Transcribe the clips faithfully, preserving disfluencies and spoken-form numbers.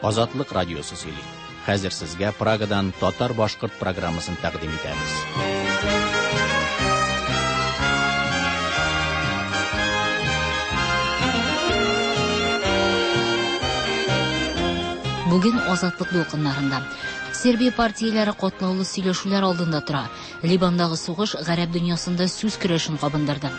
Азатлык радиосы сөйли. Хәзер сезгә Прагадан татар-башкорт программасын тәкъдим итәбез. Бүген Азатлык дулкыннарында Сербия партияләре катлаулы сөйләшүләр алдында тора. Либандагы сугыш гарәп дөньясында сүз көрәшен кабындырды.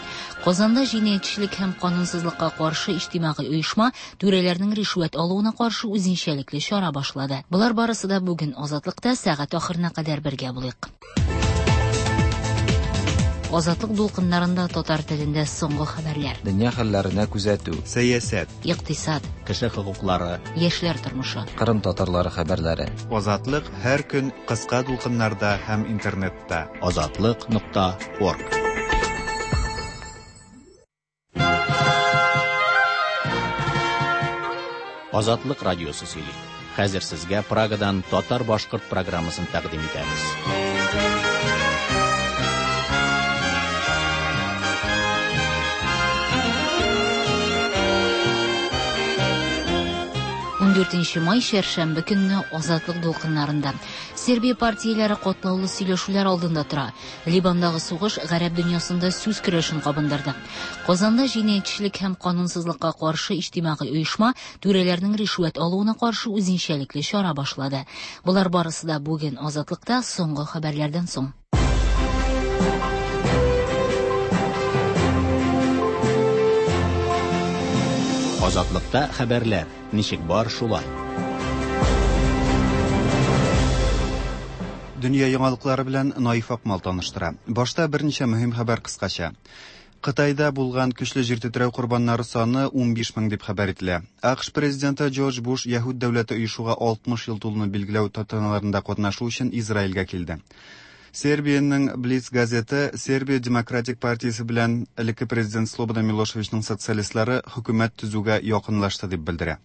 Казанда җинаятьчелек һәм канунсызлыкка каршы иҗтимагый оешма түрәләрнең ришвәт алуына каршы үзенчәлекле чара башлады. Болар барысы да бүген Азатлыкта сәгать ахырына кадәр бергә булыйк. Азатлык дулкыннарында татар телендә соңгы хәбәрләр. Дөнья хәлләренә күзәтү. Сәясәт. Икътисад. Кеше хокуклары. Яшьләр тормышы. Кырым татарлары хәбәрләре. Азатлык һәр көн кыска дулкыннарда һәм интернетта. Азатлык нокта орг. Азатлык радиосы сөйли. Хәзер сезгә Прагадан татар-башкорт программасын тәкъдим итәбез. Дүртенче май чәршәмбе көнне Азатлык дулкыннарында Сербия партияләре катлаулы сөйләшүләр алдында тора. Либандагы сугыш гарәп дөньясында сүз көрәшен кабындырды. Казанда җинаятьчелек һәм канунсызлыкка каршы иҗтимагый оешма түрәләрнең ришвәт алуына каршы үзенчәлекле чара башлады. Болар барысы да бүген Азатлыкта соңгы хәбәрләрдән соң. Азатлыкта хәбәрләр ничек бар шулай. Дөнья яңалыклары белән Наиф Акмал таныштыра. Башта берничә мөһим хәбәр кыскача. Кытайда булган көчле җир тетрәү корбаннары саны унбиш мең дип хәбәр ителә. АКШ президенты Джордж Буш Яһүд дәүләте оешуга алтмыш ел тулуны билгеләү тантаналарында катнашу өчен Израильгә килде. Сербиянең Блиц газеты Сербия Демократик партиясе белән элекке президент Слободан Милошевичның социалистлары хөкүмәт төзүгә якынлашты дип белдерә.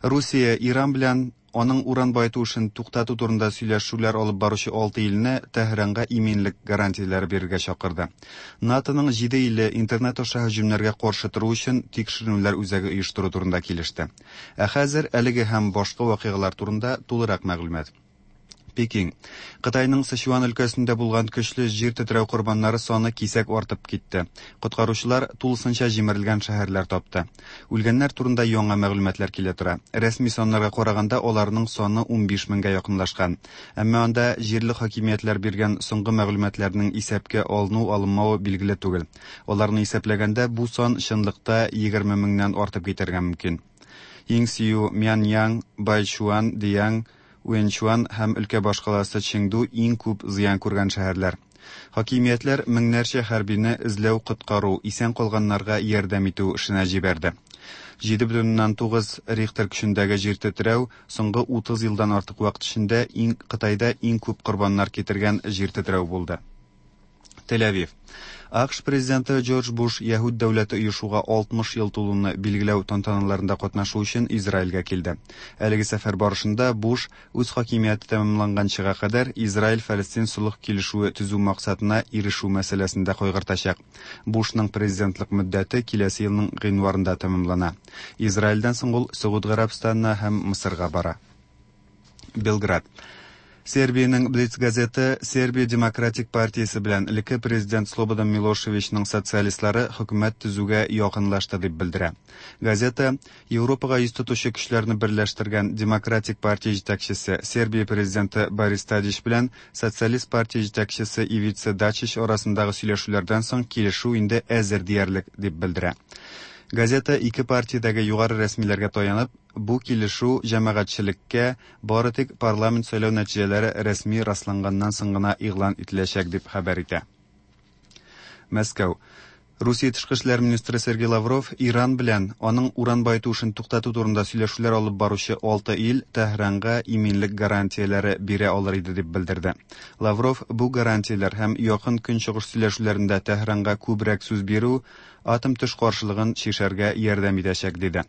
Русия Иран белән аның уран баету эшен туктату турында сөйләшүләр алып баручы алты илне Тәһранга иминлек гарантияләре бирергә чакырды. НАТОның җиде иле интернет аша һөҗүмнәргә каршы тору өчен тикшеренүләр үзәге оештыру турында килеште. Ә хәзер әлеге һәм башка вакыйгалар турында тулырак мәгълүмат. Пекин. Кытайның Сычуан өлкәсендә булган көчле җир тетрәү корбаннары саны кисәк артып китте. Коткаручылар тулысынча җимерелгән шәһәрләр тапты. Үлгәннәр турында яңа мәгълүматлар килә тора. Рәсми саннарга караганда аларның саны унбиш меңгә якынлашкан. Әмма анда җирле хакимиятләр биргән соңгы мәгълүматларның исәпкә алыну-алынмавы билгеле түгел. Аларны исәпләгәндә бу сан чынлыкта егерме меңнән артып китәргә мөмкин. Йиңсию, Мяньян, Байчуан, Диянг, Уэнчуан һәм өлкә башкаласы Чеңду иң күп зыян күргән шәһәрләр. Хакимиятләр меңнәрчә хәрбине эзләү, коткару, исән калганнарга ярдәм итү эшенә җибәрде. Җиде бөтен уннан тугыз Рихтер көчендәге җир тетрәү соңгы утыз елдан артык вакыт эчендә иң Кытайда иң күп корбаннар китергән җир тетрәү булды. Тель-Авив. АКШ президенты Джордж Буш Яһүд дәүләте оешуга алтмыш ел тулуны билгеләү тантаналарында катнашу өчен Израильгә килде. Әлеге сәфәр барышында Буш үз хакимияте тәмамланганчыга кадәр Израиль-Фәлестин солых килешүе төзү максатына ирешү мәсьәләсендә кайгыртачак. Бушның президентлык мөддәте киләсе елның гыйнварында тәмамлана. Израильдән соң ул Согуд Гарәбстанына һәм Мысырга бара. Белград. Сербиянең Блиц газеты Сербия Демократик партиясе белән элекке президент Слободан Милошевичның социалистлары хөкүмәт төзүгә якынлашты дип белдерә. Газета Европага йөз тотучы көчләрне берләштергән Демократик партия җитәкчесе Сербия президенты Борис Тадич белән Социалист партия җитәкчесе Ивица Дачич арасындагы сөйләшүләрдән соң килешү инде әзер диярлек дип белдерә. Газета ике партиядәге югары рәсмиләргә таянып, бу килешү җәмәгатьчелеккә бары тик парламент сайлау нәтиҗәләре рәсми расланганнан соң гына игълан ителәчәк дип хәбәр итә. Мәскәү. Русия тышкы эшләр министры Сергей Лавров Иран белән аның уран баету эшен туктату турында сөйләшүләр алып баручы алты ил Тәһранга иминлек гарантияләре бирә алыр иде дип белдерде. Лавров бу гарантияләр һәм якын көнчыгыш сөйләшүләрендә Тәһранга күбрәк сүз бирү атом төш каршылыгын чишәргә ярдәм итәчәк диде.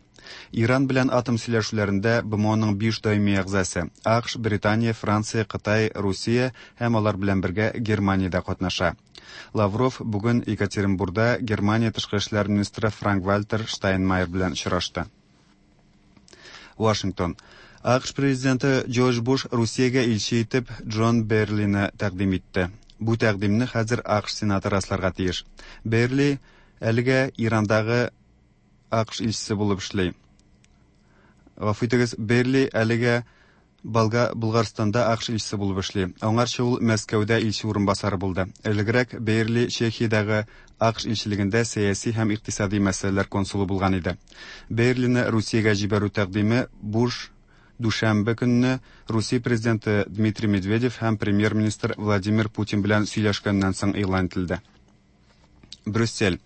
Иран белән атом сөйләшүләрендә БМОның биш даими әгъзасы АКШ, Британия, Франция, Кытай, Русия һәм алар белән бергә Германия дә катнаша. Лавров бүген Екатеринбургда Германия тышкы эшләр министры Франк-Вальтер Штайнмайер белән очрашты. Вашингтон. АКШ президенты Джордж Буш Русиягә илче итеп Джон Берлины тәкъдим итте. Бу тәкъдимне хәзер АКШ сенаты расларга тиеш. Берли әлегә Ирандагы АКШ илчесе булып эшли. Гафу итегез, Берли әлегә Болга Булгарстанда АКШ илчесе булып эшли. Аңарчы ул Мәскәүдә илче урынбасары булды. Элегрәк Берли Чехиядәге АКШ илчелегендә сәяси һәм икътисади мәсьәләләр консулы булган иде. Берлины Русиягә җибәрү тәкъдиме Буш дүшәмбе көнне Русия президенты Дмитрий Медведев һәм премьер-министр Владимир Путин белән сөйләшкәннән соң игълан ителде. Брюссель.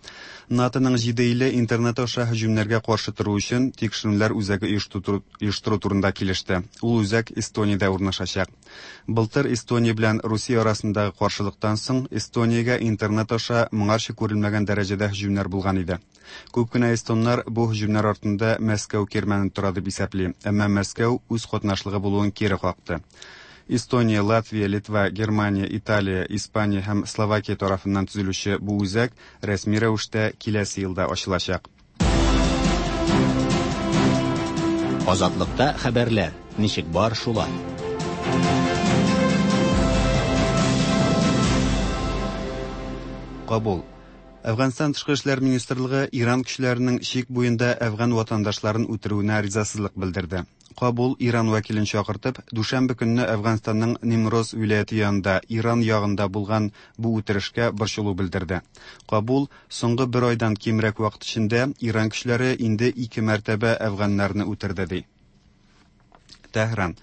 НАТОның җиде иле интернет аша һөҗүмнәргә каршы тору өчен тикшеренүләр үзәге оештыру турында килеште. Ул үзәк Эстониядә урнашачак. Былтыр Эстония белән Русия арасындагы каршылыктан соң Эстониягә интернет аша моңарчы күрелмәгән дәрәҗәдә һөҗүмнәр булган иде. Күп кенә эстоннар бу һөҗүмнәр артында Мәскәү кирмәне тора дип исәпли, әмма Мәскәү үз катнашлыгы булуын кире какты. Эстония, Латвия, Литва, Германия, Италия, Испания һәм Словакия тарафыннан төзелүче бу үзәк рәсми рәвештә киләсе елда ачылачак. Азатлыкта хәбәрләр ничек бар шулай. Кабул. Әфганстан тышкы эшләр министрлыгы Иран көчләренең чик буенда әфган ватандашларын үтерүенә ризасызлык белдерде. Кабул Иран вәкилен чакыртып, дүшәмбе көнне Әфганстанның Нимроз вилаяте янында Иран ягында булган бу үтерешкә борчылу белдерде. Кабул соңгы бер айдан кимрәк вакыт эчендә Иран көчләре инде ике мәртәбә әфганнарны үтерде ди. Тәһран.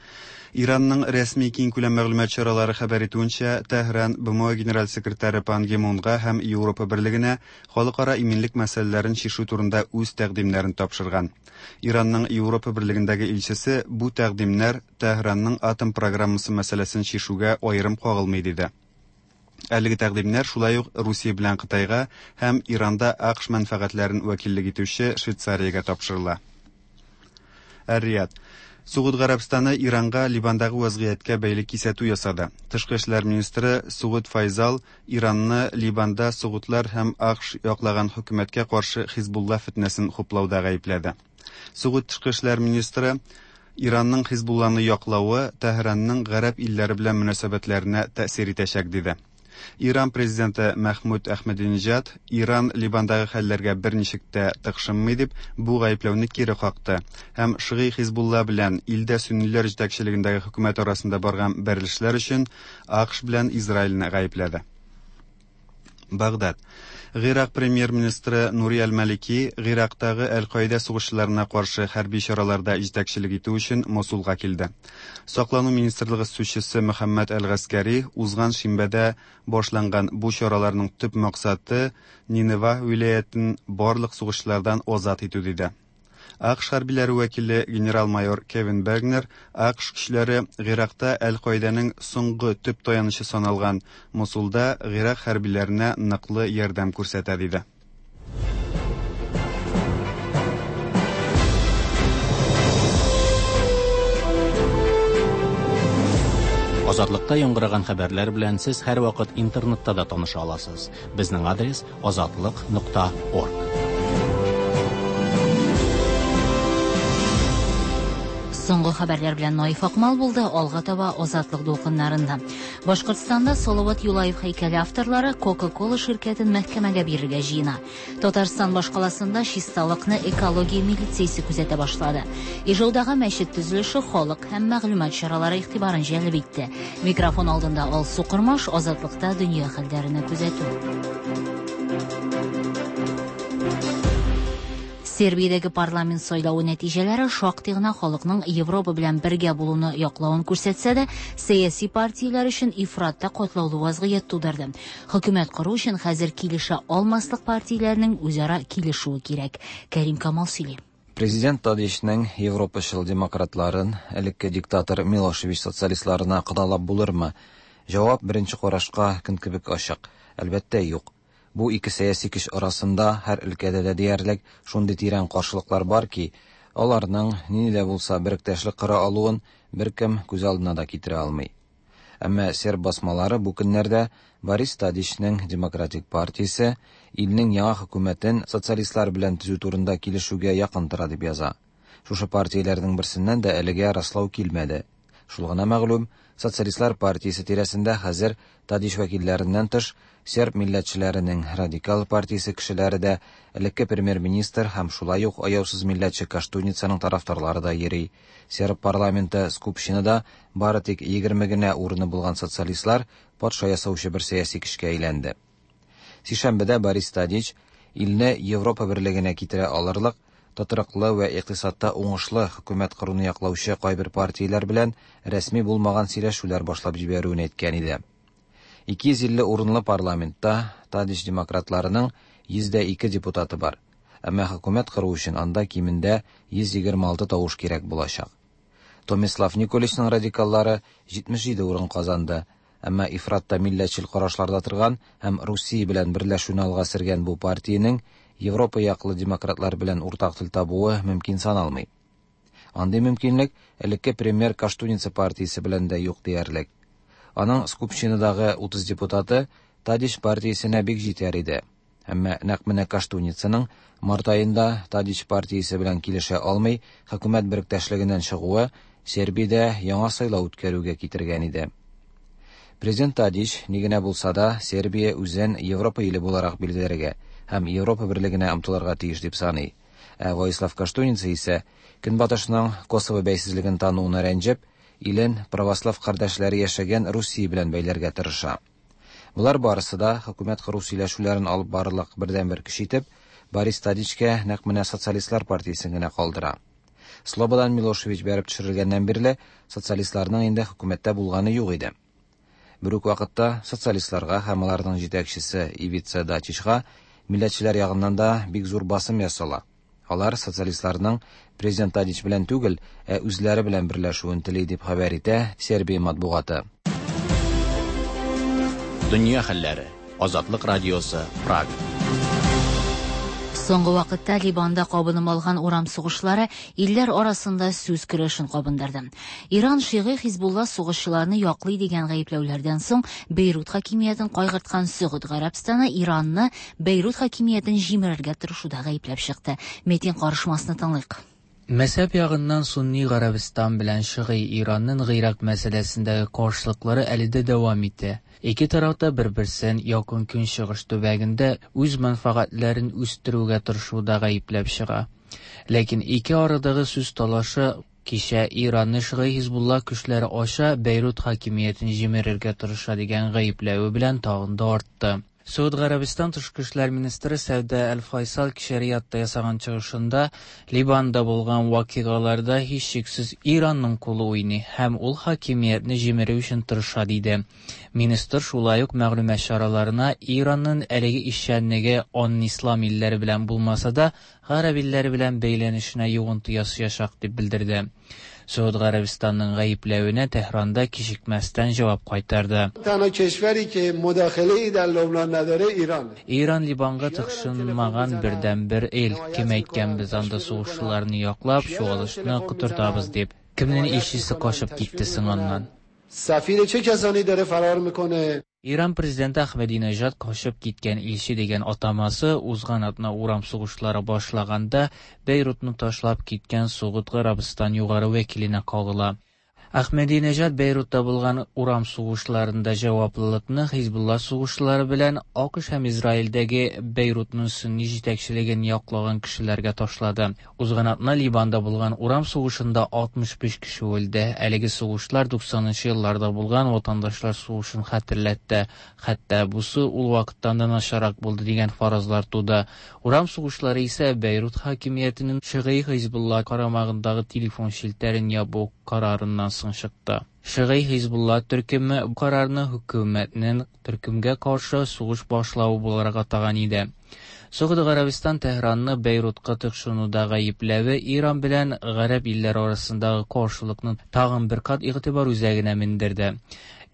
Иранның рәсми киңкүләм мәгълүмат чаралары хәбәр итүенчә, Тәһран БМО генераль секретаре Пан Ги Мунга һәм Европа берлегенә халыкара иминлек мәсьәләләрен чишү турында үз тәкъдимнәрен тапшырган. Иранның Европа берлегендәге илчесе бу тәкъдимнәр Тәһранның атом программасы мәсьәләсен чишүгә аерым кагылмый диде. Әлеге тәкъдимнәр шулай ук Русия белән Кытайга һәм Иранда АКШ мәнфәгатьләрен вәкиллек итүче Швейцариягә тапшырыла. Эр-Рияд. Согуд Гарәбстаны Иранга Ливандагы вазгыятькә бәйле кисәтү ясады. Тышкы эшләр министры Согуд Файзал Иранны Ливанда согудлар һәм АКШ яклаган хөкүмәткә каршы Хизбулла фитнәсен хуплауда гаепләде. Согуд тышкы эшләр министры Иранның Хизбулланы яклавы Тәһранның гарәп илләре белән мөнәсәбәтләренә тәэсир итәчәк диде. Иран президенты Мәхмүд Әхмәдинежад Иран Ливандагы хәлләргә берничек тә тыкшынмый дип бу гаепләүне кире какты һәм Шигый Хизбулла белән илдә сөнниләр җитәкчелегендәге хөкүмәт арасында барган бәрелешләр өчен АКШ белән Израильне гаепләде. Багдад. Гыйрак премьер-министры Нури Аль-Малики Гыйрактагы Әл-Каида сугышчыларына каршы хәрби чараларда җитәкчелек итү өчен Мосулга килде. Саклану министрлыгы сүзчесе Мөхәммәд Әл-Гаскәри узган шимбәдә башланган бу чараларның төп максаты Нинева вилаятен барлык сугышчылардан азат итү диде. АКШ хәрбиләре вәкиле генерал-майор Кевин Бергнер АКШ көчләре Гыйракта Әл-Каиданың соңгы төп таянычы саналган Мосулда Гыйрак хәрбиләренә ныклы ярдәм күрсәтә диде. Азатлыкта яңгыраган хәбәрләр белән сез һәрвакыт интернетта да таныша аласыз. Безнең адрес азатлык нокта орг. Соңгы хәбәрләр белән Наиф Акмал булды, алга таба Азатлык дулкыннарында. Башкортстанда Салават Юлаев һәйкәле авторлары Coca-Cola ширкәтен мәхкәмәгә бирергә җыена. Татарстан башкаласында чисталыкны экология милициясе күзәтә башлады. Ижаудагы мәчет төзелеше халык һәм мәгълүмат чаралары игътибарын җәлеп итте. Микрофон алдында Алсу Кормаш, Азатлыкта дөнья хәлләрен күзәтү. Сербиядәге парламент сайлавы нәтиҗәләре шактый гына халыкның Европа белән бергә булуны яклавын күрсәтсә дә, сәяси партияләр өчен ифратта катлаулы вазгыять тудырды. Хөкүмәт кору өчен хәзер килешә алмаслык партияләрнең үзара килешүе кирәк. Кәрим Камал сөйли. Президент Тадичның Европачыл демократларын элекке диктатор Милошевич социалистларына кадалап булырмы? Җавап беренче карашка көн кебек ачык. Әлбәттә, юк. Бу ике сәяси көч арасында һәр өлкәдә дә диярлек шундый тирән каршылыклар бар ки, аларның нинди дә булса беректәшлек кора алуын беркем күз алдына да китерә алмый. Әмма серб басмалары бу көннәрдә Борис Тадичның Демократик партиясе илнең яңа хөкүмәтен социалистлар белән төзү турында килешүгә якын тора дип яза. Шушы партияләрнең берсеннән дә әлегә раслау килмәде. Шул гына мәгълүм, Социалистлар партиясе тирәсендә хәзер Тадич вәкилләреннән тыш серб милләтчеләренең радикал партиясе кешеләре дә, элекке премьер-министр һәм шулай ук аяусыз милләтче Коштуницаның тарафдарлары да йөри. Серб парламенты Скупщинада бары тик егерме генә урыны булган социалистлар патша ясаучы бер сәяси көчкә әйләнде. Сишәмбедә Борис Тадич илне Европа берлегенә китерә алырлык тотрыклы вә икътисадта уңышлы хөкүмәт коруны яклаучы кайбер партияләр белән рәсми булмаган сөйләшүләр башлап җибәрүен әйткән иде. ике йөз илле урынлы парламентта Тадич демократларының йөз дә ике депутаты бар. Әмма хөкүмәт кору өчен анда кимендә йөз егерме алты тавыш кирәк булачак. Томислав Николичның радикаллары җитмеш җиде урын казанды. Әмма ифратта милләтчел карашларда торган һәм Русия белән берләшүне алга сөргән бу партиянең Европа яклы демократлар белән уртак тел табуы мөмкин саналмый. Андый мөмкинлек элекке премьер Коштуница партиясе белән дә юк диярлек. Аның Скупщинадагы утыз депутаты Тадич партиясенә бик җитәр иде. Әмма нәкъ менә Коштуницаның март аенда Тадич партиясе белән килешә алмый хөкүмәт беректәшлегеннән чыгуы Сербиядә яңа сайлау үткәрүгә китергән иде. Президент Тадич ни генә булса да Сербия үзен Европа иле буларак билгеләргә һәм Европа берлегенә омтылырга тиеш дип саный. Ә Воислав Коштуница исә Көнбатышның Косово бәйсезлеген тануына рәнҗеп, илен православ кардәшләре яшәгән Русия белән бәйләргә тырыша. Болар барысы да хөкүмәт кору сөйләшүләрен алып барырлык бердәнбер көч итеп, Борис Тадичкә нәкъ менә социалистлар партиясен генә калдыра. Слободан Милошевич бәреп төшерелгәннән бирле социалистларның инде хөкүмәттә булганы юк иде. Бер үк вакытта социалистларга һәм аларның җитәкчесе Ивица Дачичка милләтчеләр ягыннан да бик зур басым ясала. Алар социалистларның президент Тадич белән түгел, ә үзләре белән берләшүен тели дип хәбәр итә Сербия матбугаты. Дөнья хәлләре. Азатлык радиосы, Прага. Соңгы вакытта Ливанда кабынып алган урам сугышлары илләр арасында сүз көрәшен кабындырды. Иран шиғи Хизбулла сугышчыларны яклый дигән гаепләүләрдән соң Бейрут хакимиятен кайгырткан Сөгуд Гарәбстаны Иранны Бейрут хакимиятен җимерергә тырышуда гаепләп чыкты. Метин карышмасны тыңлыйк. Мәзһәб ягыннан Сунни Гарәбстан белән Шиғи Иранның Гыйрак мәсьәләсендәге каршылыклары әле дә дәвам итә. Ике тарафта бер-берсен якын көнчыгыш төбәгендә үз мәнфәгатьләрен үстерүгә тырышуда гаепләп чыга. Ләкин ике арадагы сүз талашы кичә Иранны Шиғи Хизбулла көчләре аша Бейрут хакимиятен җимерергә тырыша дигән гаепләве белән тагын да артты. Сауд Гарәбстан тышкы эшләр министры Сәүдә Әл-Файсал кичә Риядта ясаган чыгышында Ливанда булган вакыйгаларда һичшиксез Иранның кулы уйный һәм ул хакимиятне җимерү өчен тырыша диде. Министр шулай ук мәгълүмат чараларына Иранның әлеге эшчәнлеге аның ислам илләре белән булмаса да, гарәп илләре белән бәйләнешенә йогынты ясаячак дип белдерде. Сауд Гарәбстанның гаепләвенә Тәһранда кичекмәстән җавап кайтарды. Иран Ливанга тыкшынмаган бердәнбер ил. Кем әйткән без анда сугышчыларны яклап, чуалышны котыртабыз дип. Кемнең илчесе качып китте соң аннан? Иран президенты Ахмадинежад качып киткән илче дигән атамасы узган атна урам сугышлары башлаганда Бейрутны ташлап киткән Согуд Гарәбстан югары вәкиленә кагыла. Ахмадинежад Бейрутта булган урам сугышларында җаваплылыкны Хизбулла сугышлары белән АКШ һәм Израильдәге Бейрутның сунни җитәкчелеген яклаган кешеләргә ташлады. Узган атна Ливанда булган урам сугышында алтмыш биш кеше үлде. Әлеге сугышлар туксанынчы елларда булган ватандашлар сугышын хәтерләтте. Хәтта бусы ул вакыттан да начаррак булды дигән фаразлар туды. Урам сугышлары исә Бейрут хакимиятенең Шиғи Хизбулла карамагындагы телефон челтәрен ябу карарыннан соң чыкты. Шиғи Хизбулла төркеме бу карарны хөкүмәтнең төркемгә каршы сугыш башлавы буларак атаган иде. Согуд Гарәбстан Тәһранны Бейрутка тыкшынуда гаепләве Иран белән гарәп илләре арасындагы каршылыкны тагын бер кат игътибар үзәгенә мендерде.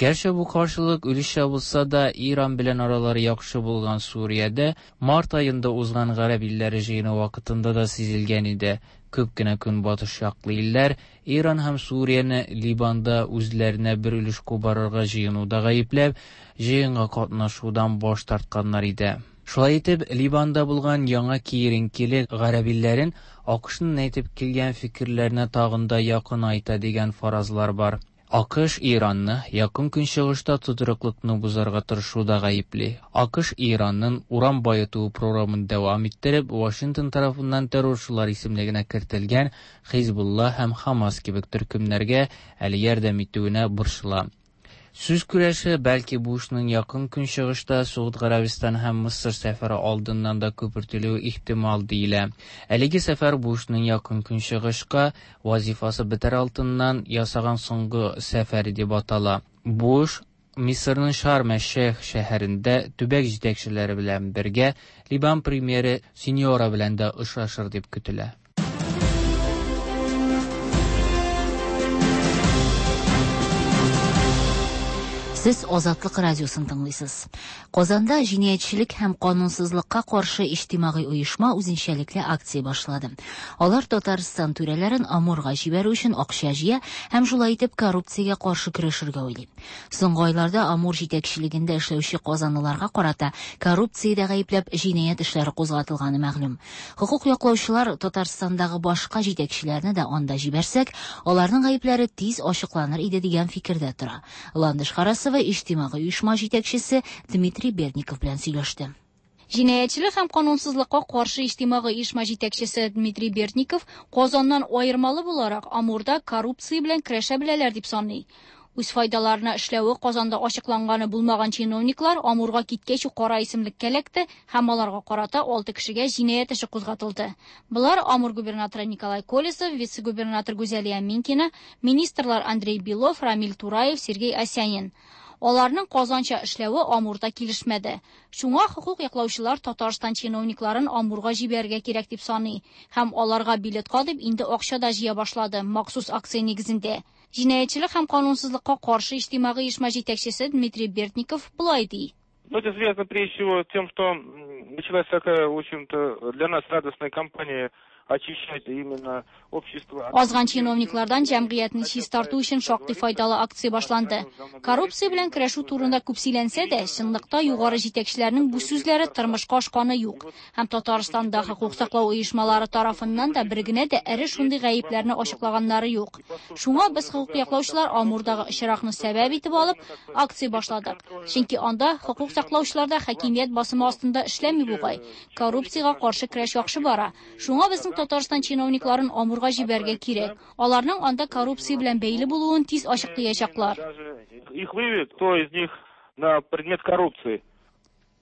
Гәрчә бу каршылык өлешчә булса да, Иран белән аралары яхшы булган Суриядә март аенда узган гарәп илләре җыены вакытында да сизелгән иде. Күп кенә көнбатыш яклы илләр Иран һәм Сурияне Ливанда үзләренә бер өлеш кубарырга җыенуда гаепләп, җыенга катнашудан баш тартканнар иде. Шулай итеп, Ливанда булган яңа киеренкелек гарәп илләрен АКШның әйтеп килгән фикерләренә тагын да якынайта дигән фаразлар бар. АКШ Иранны Якын Көнчыгышта тотрыклыкны бозарга тырышуда гаепли. АКШ Иранның уран баету програмын дәвам иттереп, Вашингтон тарафыннан террорчылар исемлегенә кертелгән Хизбулла һәм Хамас кебек төркемнәргә әле ярдәм итүенә борчыла. Сүз көрәше бәлки Бушның Якын Көнчыгышта Согуд Гарәбистан һәм Мысыр сәфәре алдыннан да күпертелүе ихтимал диелә. Әлеге сәфәр Бушның Якын Көнчыгышка вазифасы бетәр алдыннан ясаган соңгы сәфәре дип атала. Буш Мисырның Шарм-әш-Шейх шәһәрендә төбәк җитәкчеләре белән бергә Ливан премьеры Синьора белән дә очрашыр дип көтелә. Сез Азатлык радиосын тыңлыйсыз. Казанда җинаятьчелек һәм канунсызлыкка каршы иҗтимагый оешма үзенчәлекле акция башлады. Алар Татарстан түрәләрен Амурга җибәрү өчен акча җыя һәм шулай итеп коррупциягә каршы көрәшергә уйлый. Соңгы айларда Амур җитәкчелегендә эшләүче казанлыларга карата коррупциядә гаепләп җинаять эшләре кузгатылганы мәгълүм. Хокук яклаучылар Татарстандагы башка җитәкчеләрне дә анда җибәрсәк, аларның гаепләре тиз ачыкланыр иде дигән фикердә тора. Ландыш Харасова иҗтимагый оешма җитәкчесе Дмитрий Бердников белән сөйләште. Җинаятьчелек һәм канунсызлыкка каршы иҗтимагый оешма җитәкчесе Дмитрий Бердников Казаннан аермалы буларак Амурда коррупция белән көрәшә беләләр дип саный. Үз файдаларына эшләве Казанда ачыкланганы булмаган чиновниклар Амурга киткәч үк кара исемлеккә эләкте һәм аларга карата алты кешегә җинаять эше кузгатылды. Болар Амур губернаторы Николай Колесов, вице-губернатор Гүзәлия Минкина, министрлар Андрей Белов, Рамиль Тураев, Сергей Осянин. Аларның Казанча эшләве Амурда килешмәде. Шуңа хокук яклаучылар Татарстан чиновникларын Амурга җибәрергә кирәк дип саный һәм аларга билетка дип инде акча да җыя башлады махсус акция нигезендә. Җинаятьчелек һәм канунсызлыкка каршы иҗтимагый оешма җитәкчесе Дмитрий Бердников болай ди. Ну, это связано прежде всего тем, что началась такая, в общем-то, для нас радостная кампания очищать именно общество. Азган чиновниклардан җәмгыятьне чистарту өчен шактый файдалы акция башланды. Коррупция белән көрәшү турында күп сөйләнсә дә, чынлыкта югары җитәкчеләрнең бу сүзләре тормышка ашканы юк. Һәм Татарстанда хокук саклау оешмалары тарафыннан да бер генә дә эре шундый гаепләрне ачыклаганнары юк. Шуңа без хокук яклаучылар Амурдагы очракны сәбәп итеп алып, акция башладык. Чөнки анда хокук саклаучылар да хакимият басымы астында эшләми бугай. Коррупциягә каршы көрәш яхшы бара. Шуңа безнең Татарстан чиновникларын Амурга җибәрергә кирәк. Аларның анда коррупция белән бәйле булуын тиз ачыклаячаклар. Их выявят, кто из них на предмет коррупции.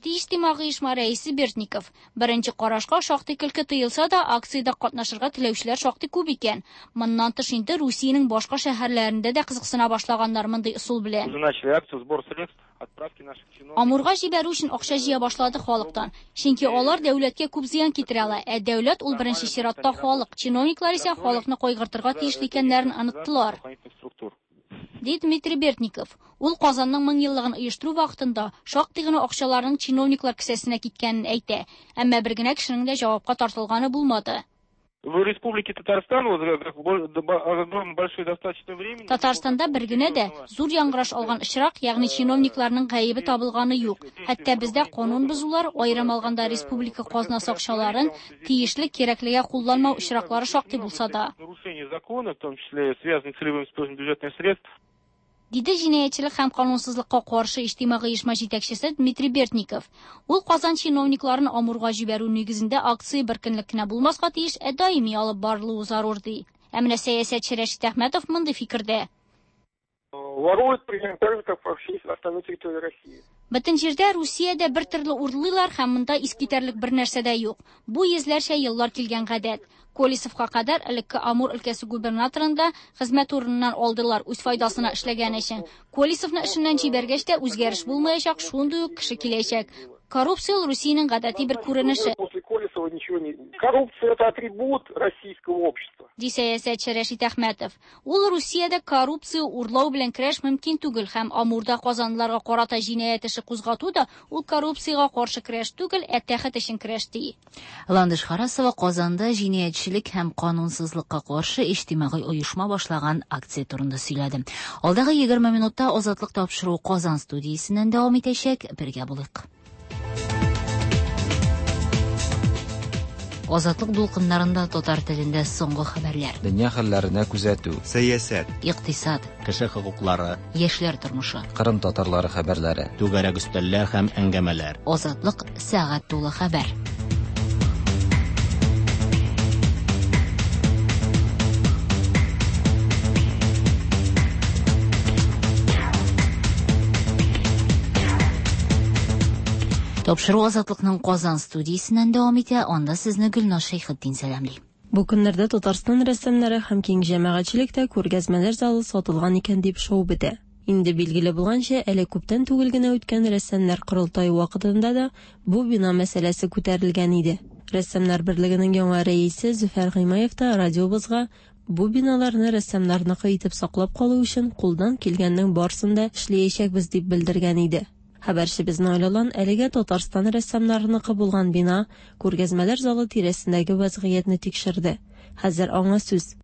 Иҗтимагый оешма рәисе Бердников. Беренче карашка шактый көлке тоелса да, акциядә катнашырга теләүчеләр шактый күп икән. Моннан тыш инде Русиянең башка шәһәрләрендә дә кызыксына башлаганнар мондый ысул белән. Уже начали акцию сбор средств отправки наших чиновников. Амурга җибәрү өчен акча җыя башлады халыктан. Чөнки алар дәүләткә күп зыян китерә ала. Ә дәүләт ул беренче чиратта халык. Чиновниклар исә халыкны кайгыртырга тиешле икәннәрен оныттылар. Ди Дмитрий Бердников. Ул Казанның мең еллыгын оештыру вакытында шактый гына акчаларның чиновниклар кесәсенә киткәнен әйтә. Әмма бер генә кешенең дә җавапка тартылганы булмады. В Республике Татарстан вот, огромное большое достаточно времени. Татарстанда бер генә дә зур яңгыраш алган очрак, ягъни чиновникларның гаебе табылганы юк. Хәтта бездә канун бозулар, аерым алганда республика казнасы акчаларын тиешле кирәклегә кулланмау очраклары шактый булса да. Нарушение закона, в том числе связанных с целевым использованием бюджетных средств. Диде җинаятьчелек һәм канунсызлыкка каршы иҗтимагый оешма җитәкчесе Дмитрий Бердников. Ул Казан чиновникларын Амурга җибәрү нигезендә акция бер көнлек кенә булмаска тиеш, ә даими алып барылуы зарур ди. Ә менә сәясәтче Рәшит Әхмәтов мондый фикердә. Воруют примерно так же, как во всей остальной территории России. Бөтен җирдә Русиядә бер төрле урлыйлар һәм монда искитәрлек бер нәрсә дә юк. Бу йөзләрчә еллар килгән гадәт. Колесовка кадәр элекке Амур өлкәсе губернаторын да хезмәт урыныннан алдылар үз файдасына эшләгән өчен. Колесовны эшеннән җибәргәч тә үзгәреш булмаячак, шундый ук кеше киләчәк. Коррупция ул Русиянең гадәти бер күренеше. После Колесова ничего не... Коррупция это атрибут российского общества. Ди сәясәтче Рәшит Әхмәтов. Ул Русиядә коррупция урлау белән көрәш мөмкин түгел һәм Амурда казанлыларга карата җинаять эше кузгату да ул коррупциягә каршы көрәш түгел, ә тәхет өчен көрәш ди. Ландыш Харасова Казанда җинаятьчелек һәм канунсызлыкка каршы иҗтимагый оешма башлаган акция турында сөйләде. Алдагы егерме минутта Азатлык тапшыруы Казан студиясеннән дәвам итәчәк. Бергә булыйк. Азатлык дулкыннарында татар телендә соңгы хәбәрләр. Дөнья хәлләренә күзәтү. Сәясәт. Икътисад. Кеше хокуклары. Яшьләр тормышы. Кырым татарлары хәбәрләре. Түгәрәк өстәлләр һәм әңгәмәләр. Азатлык сәгать тулы хәбәр. Тапшыру Азатлыкның Казан студиясеннән дәвам итә, анда сезне Гөлназ Шәйхетдин сәламли. Бу көннәрдә Татарстан рәссамнары һәм киң җәмәгатьчелектә күргәзмәләр залы сатылган икән дип шау бетә. Инде билгеле булганча, әле күптән түгел генә үткән рәссамнар корылтае вакытында да бу бина мәсьәләсе күтәрелгән иде. Рәссамнар берлегенең яңа рәисе Зөфәр Гыймаев та радиобызга бу биналарны рәссамнарныкы итеп саклап калу өчен кулдан килгәннең барысын да эшләячәкбез дип белдергән иде. Хәбәрчебез Наил Алан әлегә Татарстан рәссамнарыныкы булган бина күргәзмәләр залы тирәсендәге вазгыятьне тикшерде. Хәзер аңа сүз.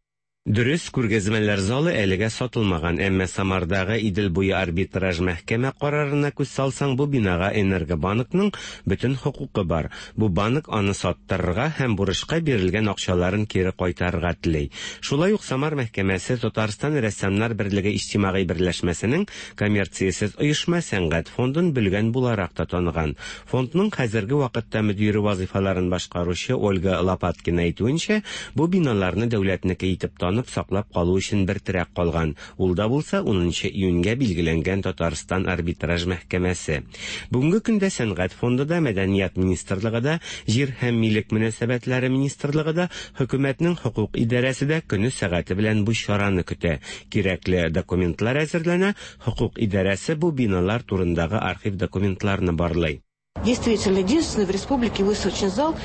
Дөрес, күргәзмәләр залы әлегә сатылмаган, әмма Самардагы Идел буе арбитраж мәхкәмә карарына күз салсаң, бу бинага Энергобанкның бөтен хокукы бар. Бу банк аны саттырырга һәм бурычка бирелгән акчаларын кире кайтарырга тели. Шулай ук Самар мәхкәмәсе Татарстан рәссамнар берлеге иҗтимагый берләшмәсенең коммерциясез оешма сәнгать фондын бүлгән буларак та таныган. Фондның хәзерге вакытта мөдире вазифаларын башкаручы Ольга Лопаткина әйтүенчә, бу биналарны дәүләтнеке итеп танып саклап калу өчен бер терәк калган. Ул да булса унынчы июньгә билгеләнгән Татарстан арбитраж мәхкәмәсе. Бүгенге көндә Сәнгать фонды да, Мәдәният министрлыгы да, Җир һәм милек мөнәсәбәтләре министрлыгы да, хөкүмәтнең хокук идарәсе дә көне сәгате белән бу чараны көтә. Кирәкле документлар әзерләнә, хокук идарәсе бу биналар турындагы архив документларны барлый. Действительно, единственный в республике выставочный зал.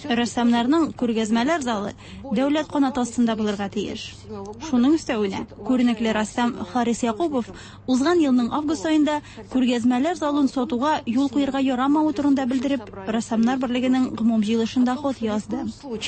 Рәссамнарның күргәзмәләр залы дәүләт канаты астында булырга тиеш. Шуның өстәвенә, күренекле рәссам Харис Якупов узган елның август аенда күргәзмәләр залын сатуга юл куярга ярамавы турында белдереп, Рәссамнар берлегенең гомум җыелышында хат язды.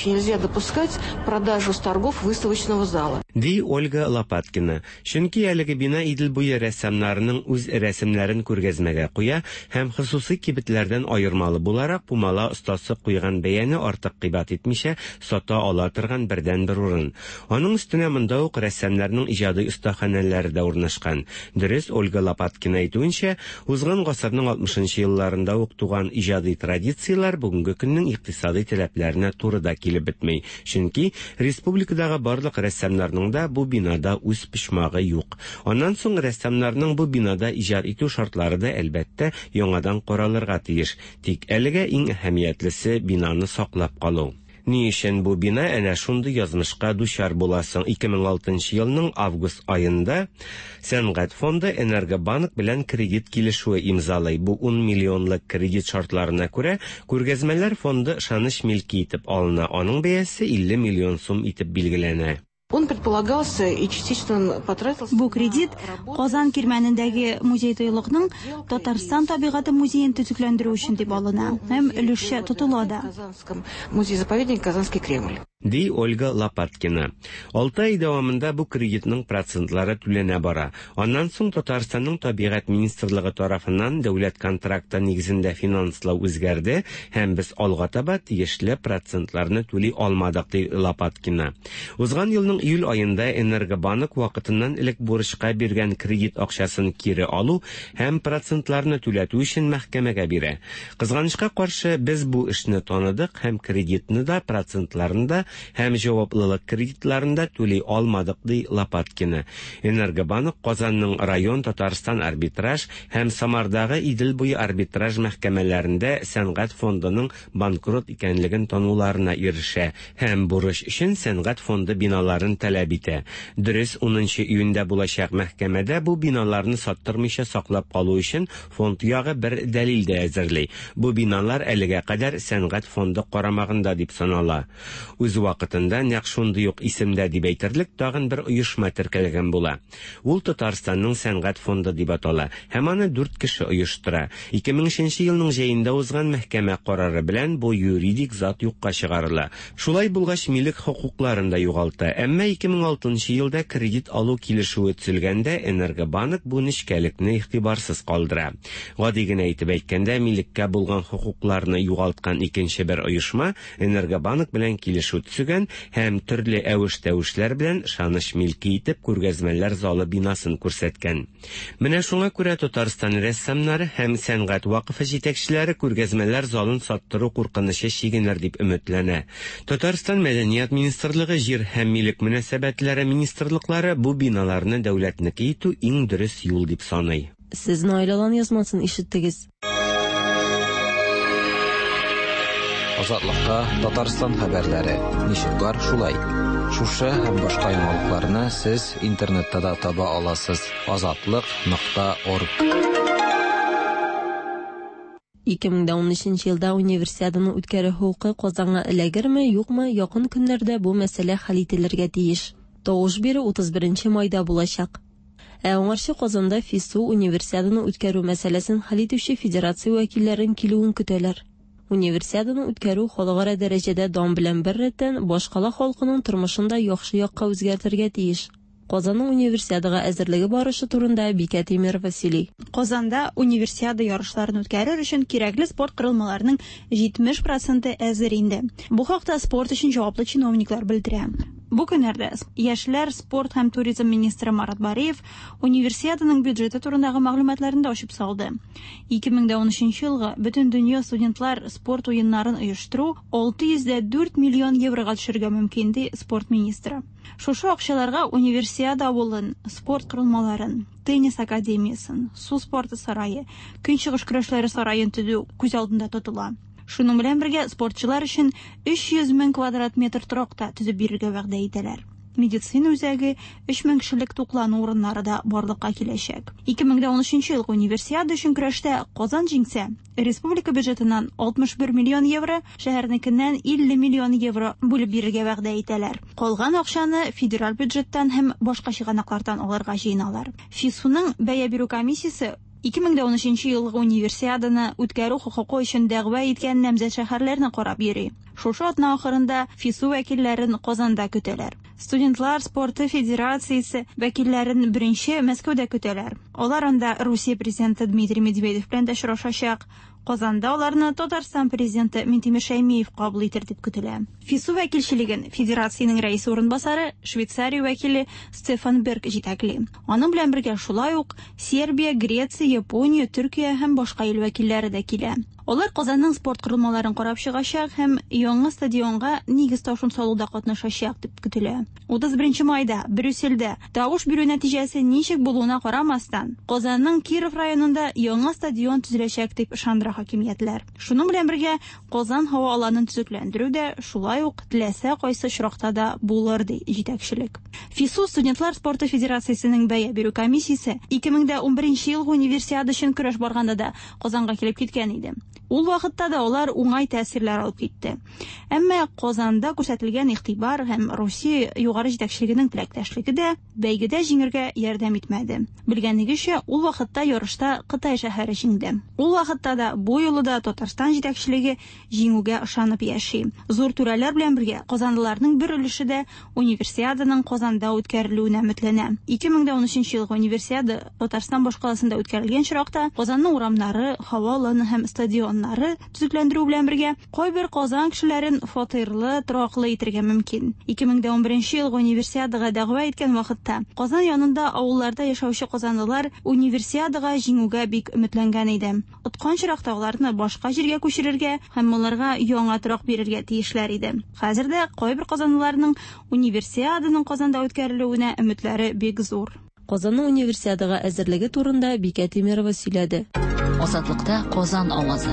Нельзя допускать продажу с торгов выставочного зала. Ди Ольга Лопаткина. Чөнки әлеге бина Идел буе рәссамнарының үз рәсемнәрен күргәзмәгә куя һәм хосусый кибетләрдән аермалы буларак пумала остасы куйган бәяне артык кыйбат итмичә сата ала торган бердәнбер урын. Аның өстенә монда ук рәссамнарның иҗади остаханәләре дә урнашкан. Дөрес, Ольга Лопаткина әйтүенчә, узган гасырның алтмышынчы елларында ук туган иҗади традицияләр бүгенге көннең икътисади таләпләренә туры да килеп бетми. Чөнки республикадагы барлык рәссамнарның да бу бинада үз почмагы юк. Аннан соң рәссамнарның бу бинада иҗат итү шартлары да әлбәттә яңадан каралырга тиеш. Тик әлегә иң әһәмиятлесе бинаны саклап калу. Ни өчен бу бина әнә шундый язмышка дучар буласың? ике мең алтынчы елның август аенда Сәнгать фонды Энергобанк белән кредит килешүе имзалый. Бу ун миллионлык кредит шартларына күрә күргәзмәләр фонды ышаныч милке итеп алына. Аның бәясе илле миллион сум итеп билгеләнә. Он предполагался и частично потратился. Бу кредит Казан кирмәнендәге музей тыюлыкның Татарстан табигате музеен төзекләндерү өчен дип алына һәм өлешчә тотыла да. Музей-заповедник Казанский Кремль. Ди Ольга Лопаткина. Алты ай дәвамында бу кредитның процентлары түләнә бара. Аннан соң Татарстанның табигать министрлыгы тарафыннан дәүләт контракты нигезендә финанслау үзгәрде һәм без алга таба тиешле процентларны түли алмадык, ди Лопаткина. Узган елның июль аенда Энергобанк вакытыннан элек бурычка биргән кредит акчасын кире алу һәм процентларны түләтү өчен мәхкәмәгә бирә. Кызганычка каршы, без бу эшне таныдык һәм кредитны да, процентларны да һәм җаваплылык кредитларын да түли алмадык, ди Лопаткина. Энергобанк Казанның район Татарстан арбитраж һәм Самардагы Идел буе арбитраж мәхкәмәләрендә Сәнгать фондының банкрот икәнлеген тануларына ирешә һәм бурыч өчен Сәнгать фонды биналарын таләп итә. Дөрес, унынчы июньдә булачак мәхкәмәдә бу биналарны саттырмыйча саклап калу өчен фонд ягы бер дәлил дә әзерли. Бу биналар әлегә кадәр Сәнгать фонды карамагында дип санала. Үз вакытында нәкъ шундый ук исемдә дип әйтерлек тагын бер оешма теркәлгән була. Ул Татарстанның Сәнгать фонды дип атала һәм аны дүрт кеше оештыра. ике мең өченче елның җәендә узган мәхкәмә карары белән бу юридик зат юкка чыгарыла. Шулай булгач, милек хокукларын да югалта. Әмма ике ике мең алтынчы елда кредит алу килешүе төзелгәндә Энергобанк бу нечкәлекне игътибарсыз калдыра. Гади генә итеп әйткәндә, милеккә булган хокукларны югалткан икенче бер оешма Энергобанк белән килешү төзегән һәм төрле әвеш-тәвешләр белән ышаныч милке итеп күргәзмәләр залы бинасын күрсәткән. Менә шуңа күрә Татарстан рәссамнары һәм сәнгать вакыфы җитәкчеләре күргәзмәләр залын саттыру куркынычы чигенер дип өметләнә. Татарстан Мәдәният министрлыгы, Җир һәм милек мөнәсәбәтләре министрлыклары бу биналарны дәүләтнеке итү иң дөрес юл дип саный. Сез Наил Алан язмасын ишеттегез. Азатлыкта Татарстан хәбәрләре. Ничек бар шулай. Шушы һәм башка яңалыкларны сез интернетта да таба аласыз. Азатлык нокта орг. ике мең унөченче елда универсиаданы үткәрү хокукы Казанга эләгерме, юкмы, якын көннәрдә бу мәсьәлә хәл ителергә тиеш. Тавыш бирү утыз беренче майда булачак. Ә аңарчы Казанда ФИСУ универсиаданы үткәрү мәсьәләсен хәл итүче федерация вәкилләрен килүен көтәләр. Универсиаданы үткәрү халыкара дәрәҗәдә дан белән бер рәттән башкала халкының тормышын да яхшы якка үзгәртергә тиеш. Казанның универсиадага әзерлеге барышы турында Бикә Тимирова сөйли. Казанда универсиада ярышларын үткәрер өчен кирәкле спорт корылмаларының җитмеш проценты әзер инде. Бу хакта спорт өчен җаваплы чиновниклар белдерә. Бу көннәрдә яшьләр, спорт һәм туризм министры Марат Бариев универсиаданың бюджеты турындагы мәгълүматларын да ачып салды. ике мең унөченче елгы бөтен дөнья студентлар спорт уеннарын оештыру алты йөз дә дүрт миллион еврога төшергә мөмкин, ди спорт министры. Шушы акчаларга универсиада авылын, спорт корылмаларын, теннис академиясын, су спорты сарае, көнчыгыш көрәшләре сараен төзү күз алдында тотыла. Шуның белән бергә спортчылар өчен өч йөз мең квадрат метр торак та төзеп бирергә вәгъдә итәләр. Медицина үзәге, өч мең кешелек туклану урыннары да барлыкка киләчәк. ике мең унөченче елгы универсиада өчен көрәштә Казан җиңсә, республика бюджетыннан алтмыш бер миллион евро, шәһәрнекеннән илле миллион евро бүлеп бирергә вәгъдә итәләр. Калган акчаны федераль бюджеттан һәм башка чыганаклардан алырга җыеналар. ФИСУның бәя бирү комиссиясе ике мең унөченче елгы универсиаданы үткәрү хокукы өчен дәгъва иткән намзәт шәһәрләрне карап йөри. Шушы атна ахырында ФИСУ вәкилләрен Казанда көтәләр. Студентлар спорты федерациясе вәкилләрен беренче Мәскәүдә көтәләр. Алар анда Русия президенты Дмитрий Медведев белән дә очрашачак. Казанда аларны Татарстан президенты Минтимер Шәймиев кабул итер дип көтелә. ФИСУ вәкилчелеген федерациянең рәисе урынбасары Швейцария вәкиле Стефан Берг җитәкли. Аның белән бергә шулай ук Сербия, Греция, Япония, Төркия һәм башка ил вәкилләре дә килә. Алар Казанның спорт корылмаларын карап чыгачак һәм яңа стадионга нигез ташын салуда катнашачак дип көтелә. утыз беренче майда Брюссельдә тавыш бирү нәтиҗәсе ничек булуына карамастан, Казанның Киров районында яңа стадион төзеләчәк дип ышандыра хакимиятләр. Шуның белән бергә Казан һава аланын төзекләндерү дә шулай ук теләсә кайсы очракта да булыр, ди җитәкчелек. ФИСУ студентлар спорты федерациясенең бәя бирү комиссиясе ике мең унберенче елгы универсиада өчен көрәш барганда да Казанга килеп киткән иде. Ул вакытта да алар уңай тәэсирләр алып китте. Әмма Казанда күрсәтелгән игътибар һәм Русия югары җитәкчелегенең теләктәшлеге дә бәйгедә җиңергә ярдәм итмәде. Белгәнегезчә, ул вакытта ярышта Кытай шәһәре җиңде. Ул вакытта да бу юлы да Татарстан җитәкчелеге җиңүгә ышанып яши. Зур түрәләр белән бергә казанлыларның бер өлеше дә универсиаданың Казанда үткәрелүенә өметләнә. ике мең унөченче елгы универсиада Татарстан башкаласында үткәрелгән чиракта Казанның урамнары, һава аланы һәм стадионнары төзекләндерү белән бергә кайбер Казан кешеләрен фатирлы, тораклы итергә мөмкин. ике мең унберенче елгы универсиадага дәгъва иткән вакытта Казан янында авылларда яшәүче казанлылар универсиадага җиңүгә бик өметләнгән иде. Откан чиракта аларны башка җиргә күчерергә һәм аларга яңа торак бирергә тиешләр иде. Хәзер дә кайбер казанлыларның универсиаданың Казанда үткәрелүенә өметләре бик зур. Казанның универсиадага әзерлеге турында Бикә Тимирова сөйләде. Азатлыкта Казан авазы.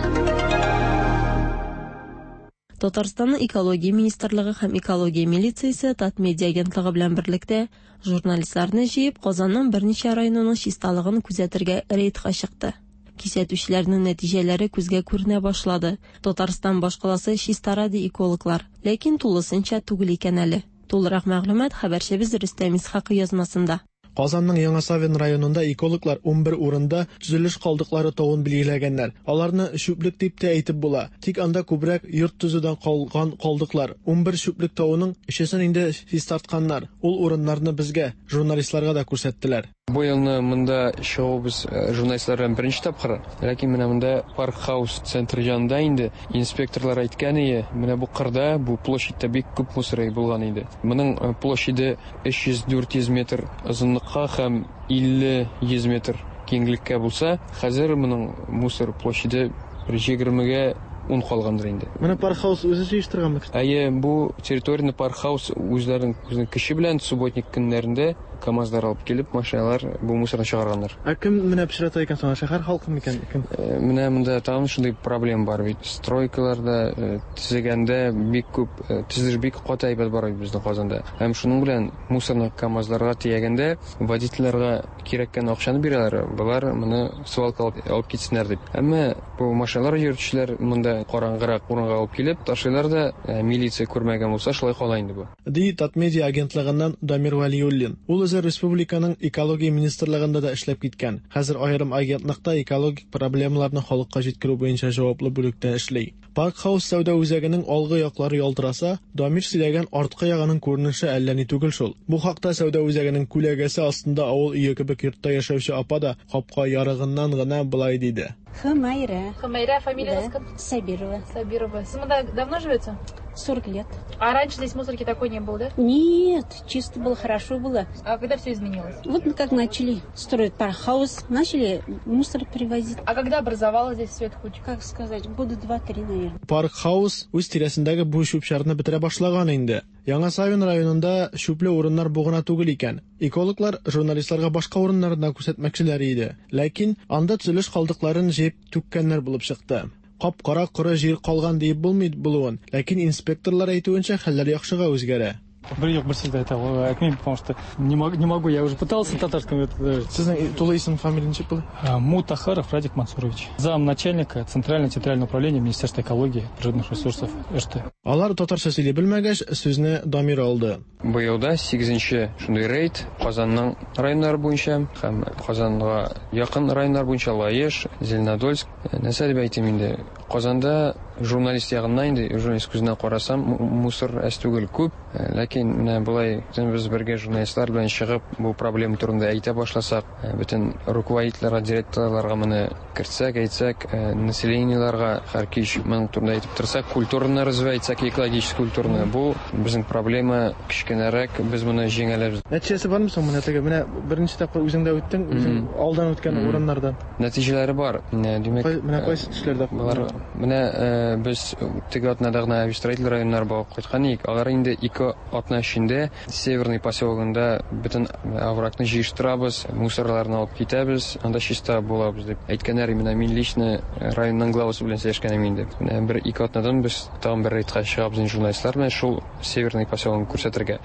Татарстанның экология министрлыгы һәм экология милициясе Татмедиа агентлыгы белән берлектә журналистларны җыеп Казанның берничә районының чисталыгын күзәтергә рейдка чыкты. Кисәтүчеләрнең нәтиҗәләре күзгә күренә башлады. Татарстан башкаласы чистара ди экологлар, ләкин тулысынча түгел икән әле. Тулырак мәгълүмат хәбәрчебез Рөстәм Исхакый язмасында. Казанның Яңа Савин районында экологлар унбер урында төзелеш калдыклары тавын билгеләгәннәр. Аларны чүплек дип тә әйтеп була. Тик анда күбрәк йорт төзүдән калган калдыклар. Унбер чүплек тавының өчесен инде чистартканнар. Ул урыннарны безгә, журналистларга да күрсәттеләр. Бу елны монда чыгуыбыз журналистлар белән беренче тапкыр. Ләкин менә монда Парк Хаус центры янында инде инспекторлар әйткән ие, менә бу кырда, бу площадьта бик күп мусор булган иде. Моның площаде өч йөз дүрт йөз метр озынлыкка һәм илле йөз метр киңлеккә булса, хәзер моның мусор площаде бер егермегә ун калгандыр инде. Менә Парк Хаус үзе җыештырганмы? Әйе, бу территорияне Парк Хаус үзләренең үзенең көче белән субботник көннәрендә КАМАЗлар алып килеп, машиналар бу мусорны чыгарганнар. Ә кем менә пычрата икән соң? Шәһәр халкы микән? Кем? Менә монда тагын шундый проблема бар бит. Стройкаларда төзегәндә бик күп төзелеш бик каты әйбәт бара бит безнең Казанда. Һәм шуның белән мусорны КАМАЗларга төягәндә водительләргә кирәккән акчаны бирәләр. Болар моны свалка алып, алып китсеннәр дип. Әмма бу машиналар йөртүчеләр монда караңгырак урынга алып килеп ташлыйлар да, милиция күрмәгән булса, шулай кала инде бу. Ди Татмедиа агентлыгыннан Дамир Вәлиуллин. Ул үзе республиканың экология министрлыгында да эшләп киткән. Хәзер аерым агентлыкта экологик проблемаларны халыкка җиткерү буенча җаваплы бүлектә эшли. Парк Хаус сәүдә үзәгенең алгы яклары ялтыраса, Дамир сөйләгән арткы ягының күренеше әллә ни түгел шул. Бу хакта сәүдә үзәгенең күләгәсе астында авыл өе кебек йортта яшәүче апа да капка ярыгыннан гына былай диде. Хумайра. Хумайра, фамилия да. Сабирова. Сабирова. Сез монда давно живете? сорок лет. А раньше здесь мусорки такой не было, да? Нет, чисто было, хорошо было. А когда все изменилось? Вот как начали строить Парк Хаус, начали мусор привозить. А когда образовалась здесь все эта куча? Как сказать, года два-три, наверное. Парк Хаус үз тирәсендәге бу чүп-чарны бетерә башлаган инде. Яңа Савин районында чүпле урыннар бу гына түгел икән. Экологлар журналистларга башка урыннарны да күрсәтмәкчеләр иде. Ләкин анда төзелеш калдыкларын җыеп түккәннәр булып чыкты. Кап-кара коры җир калган диеп булмый булуын, ләкин инспекторлар әйтүенчә хәлләр яхшыга үзгәрә. Бер юк, бер сүз дә әйтә алмыйм, потому что не могу, не могу, я уже пытался на татарском это. Сезнең тулы исем, фамилия ничек була? Мутахаров Радик Мансурович, зам начальника Центрального территориального управления Министерства экологии, природных ресурсов эр тэ. Алар татарча сөйли белмәгәч, сүзне Дамир алды. Быел да сигезенче шундый рейд Казанның районнары буенча һәм Казанга якын районнар буенча Лаеш, Зеленодольск. Нәрсә дип әйтим инде? Казанда журналист ягыннан инде, журналист күзеннән карасам, мусор әз түгел күп, ләкин менә болай без бергә журналистлар белән чыгып бу проблема турында әйтә башласак, бөтен руководительләргә, директорларга моны кертсәк, әйтсәк, населениеларга һәр кич моның турында әйтеп торсак, культураны развивать итсәк, экологический культураны, бу безнең проблема кечкенәрәк, без моны җиңә алабыз. Нәтиҗәсе бармы соң менә теге? Менә беренче тапкыр үзең дә үттең, үзең алдан үткән урыннардан. Нәтиҗәләре бар. Димәк, менә кайсы төшләрдә? Болар менә без теге атнада гына Авистроитель районнары барып кайткан идек. Алар инде ике атна эчендә Северный поселогында бөтен оврагны җыештырабыз, мусорларны алып китәбез, анда чиста булабыз дип әйткәннәр. Менә мин лично районның главасы белән сөйләшкән идем инде. Менә бер ике атнадан без тагын бер рейдка чыгабыз журналистлар белән шул Северный поселогын күрсәтергә.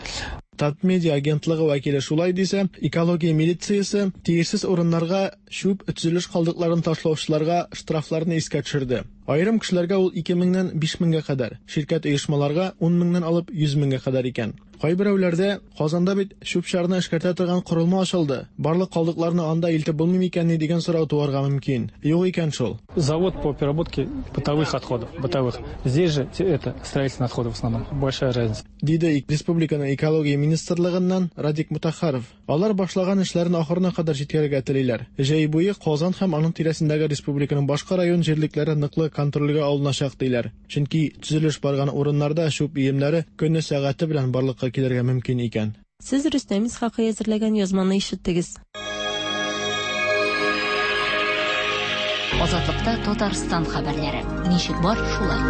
Татмедиа агентлыгы вәкиле шулай дисә, экология милициясе тиешсез урыннарга чүп төзелеш калдыкларын ташлаучыларга штрафларны искә төшерде. Аерым кешеләргә ул ике меңнән биш меңгә кадәр, ширкәт оешмаларга ун меңнән алып йөз меңгә кадәр икән. Кайберәүләрдә Казанда бит чүп-чарны эшкәртә торган корылма ачылды. Барлык калдыкларны анда илтеп булмый микән ни дигән сорау туарга мөмкин. Юк икән шул. Завод по переработке бытовых отходов, бытовых. Здесь же это строительные отходы в основном. Большая разница. Диде республиканың экология министрлыгыннан Радик Мутахаров. Алар башлаган эшләрен ахырына кадәр җиткерергә телиләр. Җәй буе Казан һәм аның тирәсендәге республиканың башка район җирлекләре ныклы контрольгә алыначак диләр. Чөнки төзелеш барган урыннарда чүп өемнәре көне сәгате белән барлыкка килергә мөмкин икән. Сез Рөстәм Исхакый әзерләгән язманы ишеттегез. Азатлыкта Татарстан хәбәрләре. Ничек бар, шулай.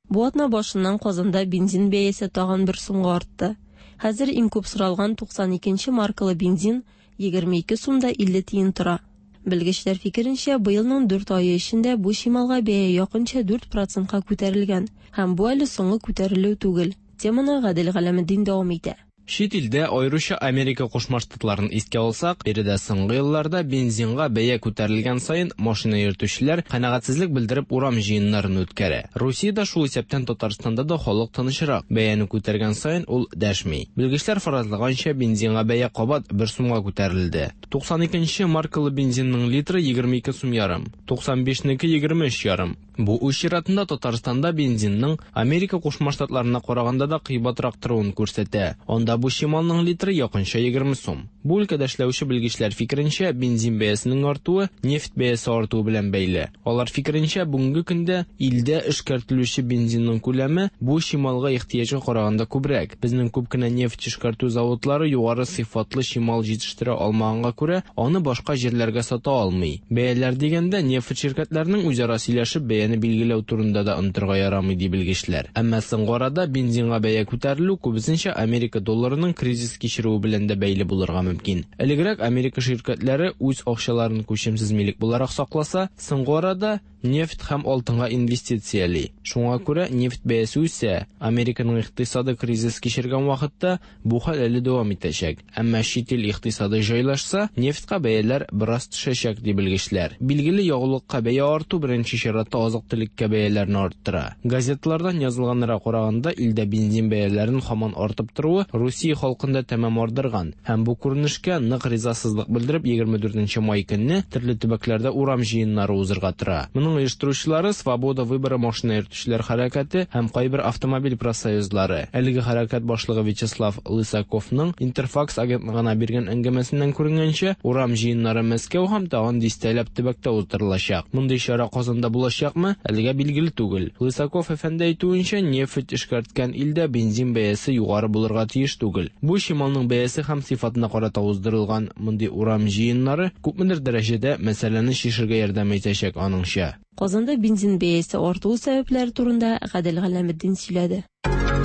Бу атна башыннан Казанда бензин бәясе тагын бер сумга артты. Хәзер иң күп соралган туксан икенче маркалы бензин егерме ике сумда илле тиен тора. Белгечләр фикеренчә, быелның дүрт ае эчендә бу чималга бәя якынча дүрт процентка күтәрелгән һәм бу әле соңгы күтәрелү түгел. Теманы Гадел Галәметдин дәвам итә. Чит илдә, аеруча Америка Кушма Штатларын искә алсак, биредә соңгы елларда бензинга бәя күтәрелгән саен машина йөртүчеләр канәгатьсезлек белдереп урам җыеннарын үткәрә. Русиядә, шул исәптән Татарстанда да халык тынычрак. Бәяне күтәргән саен ул дәшми. Белгечләр фаразлаганча, бензинга бәя кабат бер сумга күтәрелде. туксан икенче маркалы бензинның литры егерме ике сум ярым, туксан бишнеке егерме өч ярым. Бу үз чиратында Татарстанда бензинның Америка Кушма Штатларына караганда да кыйбатрак торуын күрсәтә. Анда бу чималның литры якынча егерме сум. Бу өлкәдә эшләүче белгечләр фикеренчә, бензин бәясенең артуы нефть бәясе артуы белән бәйле. Алар фикеренчә, бүгенге көндә илдә эшкәртелүче бензинның күләме бу чималга ихтыяҗга караганда күбрәк. Безнең күп кенә нефть эшкәртү заводлары югары сыйфатлы чимал җитештерә алмаганга күрә, аны башка җирләргә сата алмый. Бәяләр дигәндә, нефть ширкәтләренең үзара сөйләшеп бәяне билгеләү турында да онытырга ярамый, ди белгечләр. Әмма соңгы арада бензинга бәя күтәрелү күбесенчә Америка долларының кризис кичерүе белән дә бәйле булырга мөмкин. Элегрәк Америка ширкәтләре үз акчаларын күчемсез милек буларак сакласа, соңгы арада нефть һәм алтынга инвестицияли. Шуңа күрә нефть бәясе үсә. Американың икътисады кризис кичергән вакытта бу хәл әле дәвам итәчәк. Әмма чит ил икътисады җайлашса, нефтькә бәяләр бераз төшәчәк, ди белгечләр. Билгеле, ягулыкка бәя арту беренче чиратта азык-төлеккә бәяләрне арттыра. Газеталардан язылганнарга караганда, илдә бензин бәяләренең һаман артып торуы Русия халкында тәмам ардырган. Һәм бу күренешкә нык ризасызлык белдереп, егерме дүртенче май көнне төрле төбәкләрдә урам җыеннары узырга тора. Моның оештыручылары Свобода выбора машина йөртүчеләр хәрәкәте һәм кайбер автомобиль профсоюзлары. Әлеге хәрәкәт башлыгы Вячеслав Лысаковның Интерфакс агентлыгына биргән әңгәмәсеннән күренгәнчә, урам җыеннары Мәскәү һәм тагын дистәләп төбәктә уздырылачак. Мондый чара Казанда булачакмы, әлегә билгеле түгел. Лысаков әфәнде әйтүенчә, нефть эшкәрткән илдә бензин бәясе югары булырга тиеш түгел. Бу чималның бәясе һәм сыйфатына карата уздырылган мондый урам җыеннары күпмедер дәрәҗәдә мәсьәләне чишергә ярдәм итәчәк аныңча. Казанда бензин бәясе артуы сәбәпләре турында Гадел Галәметдин сөйләде.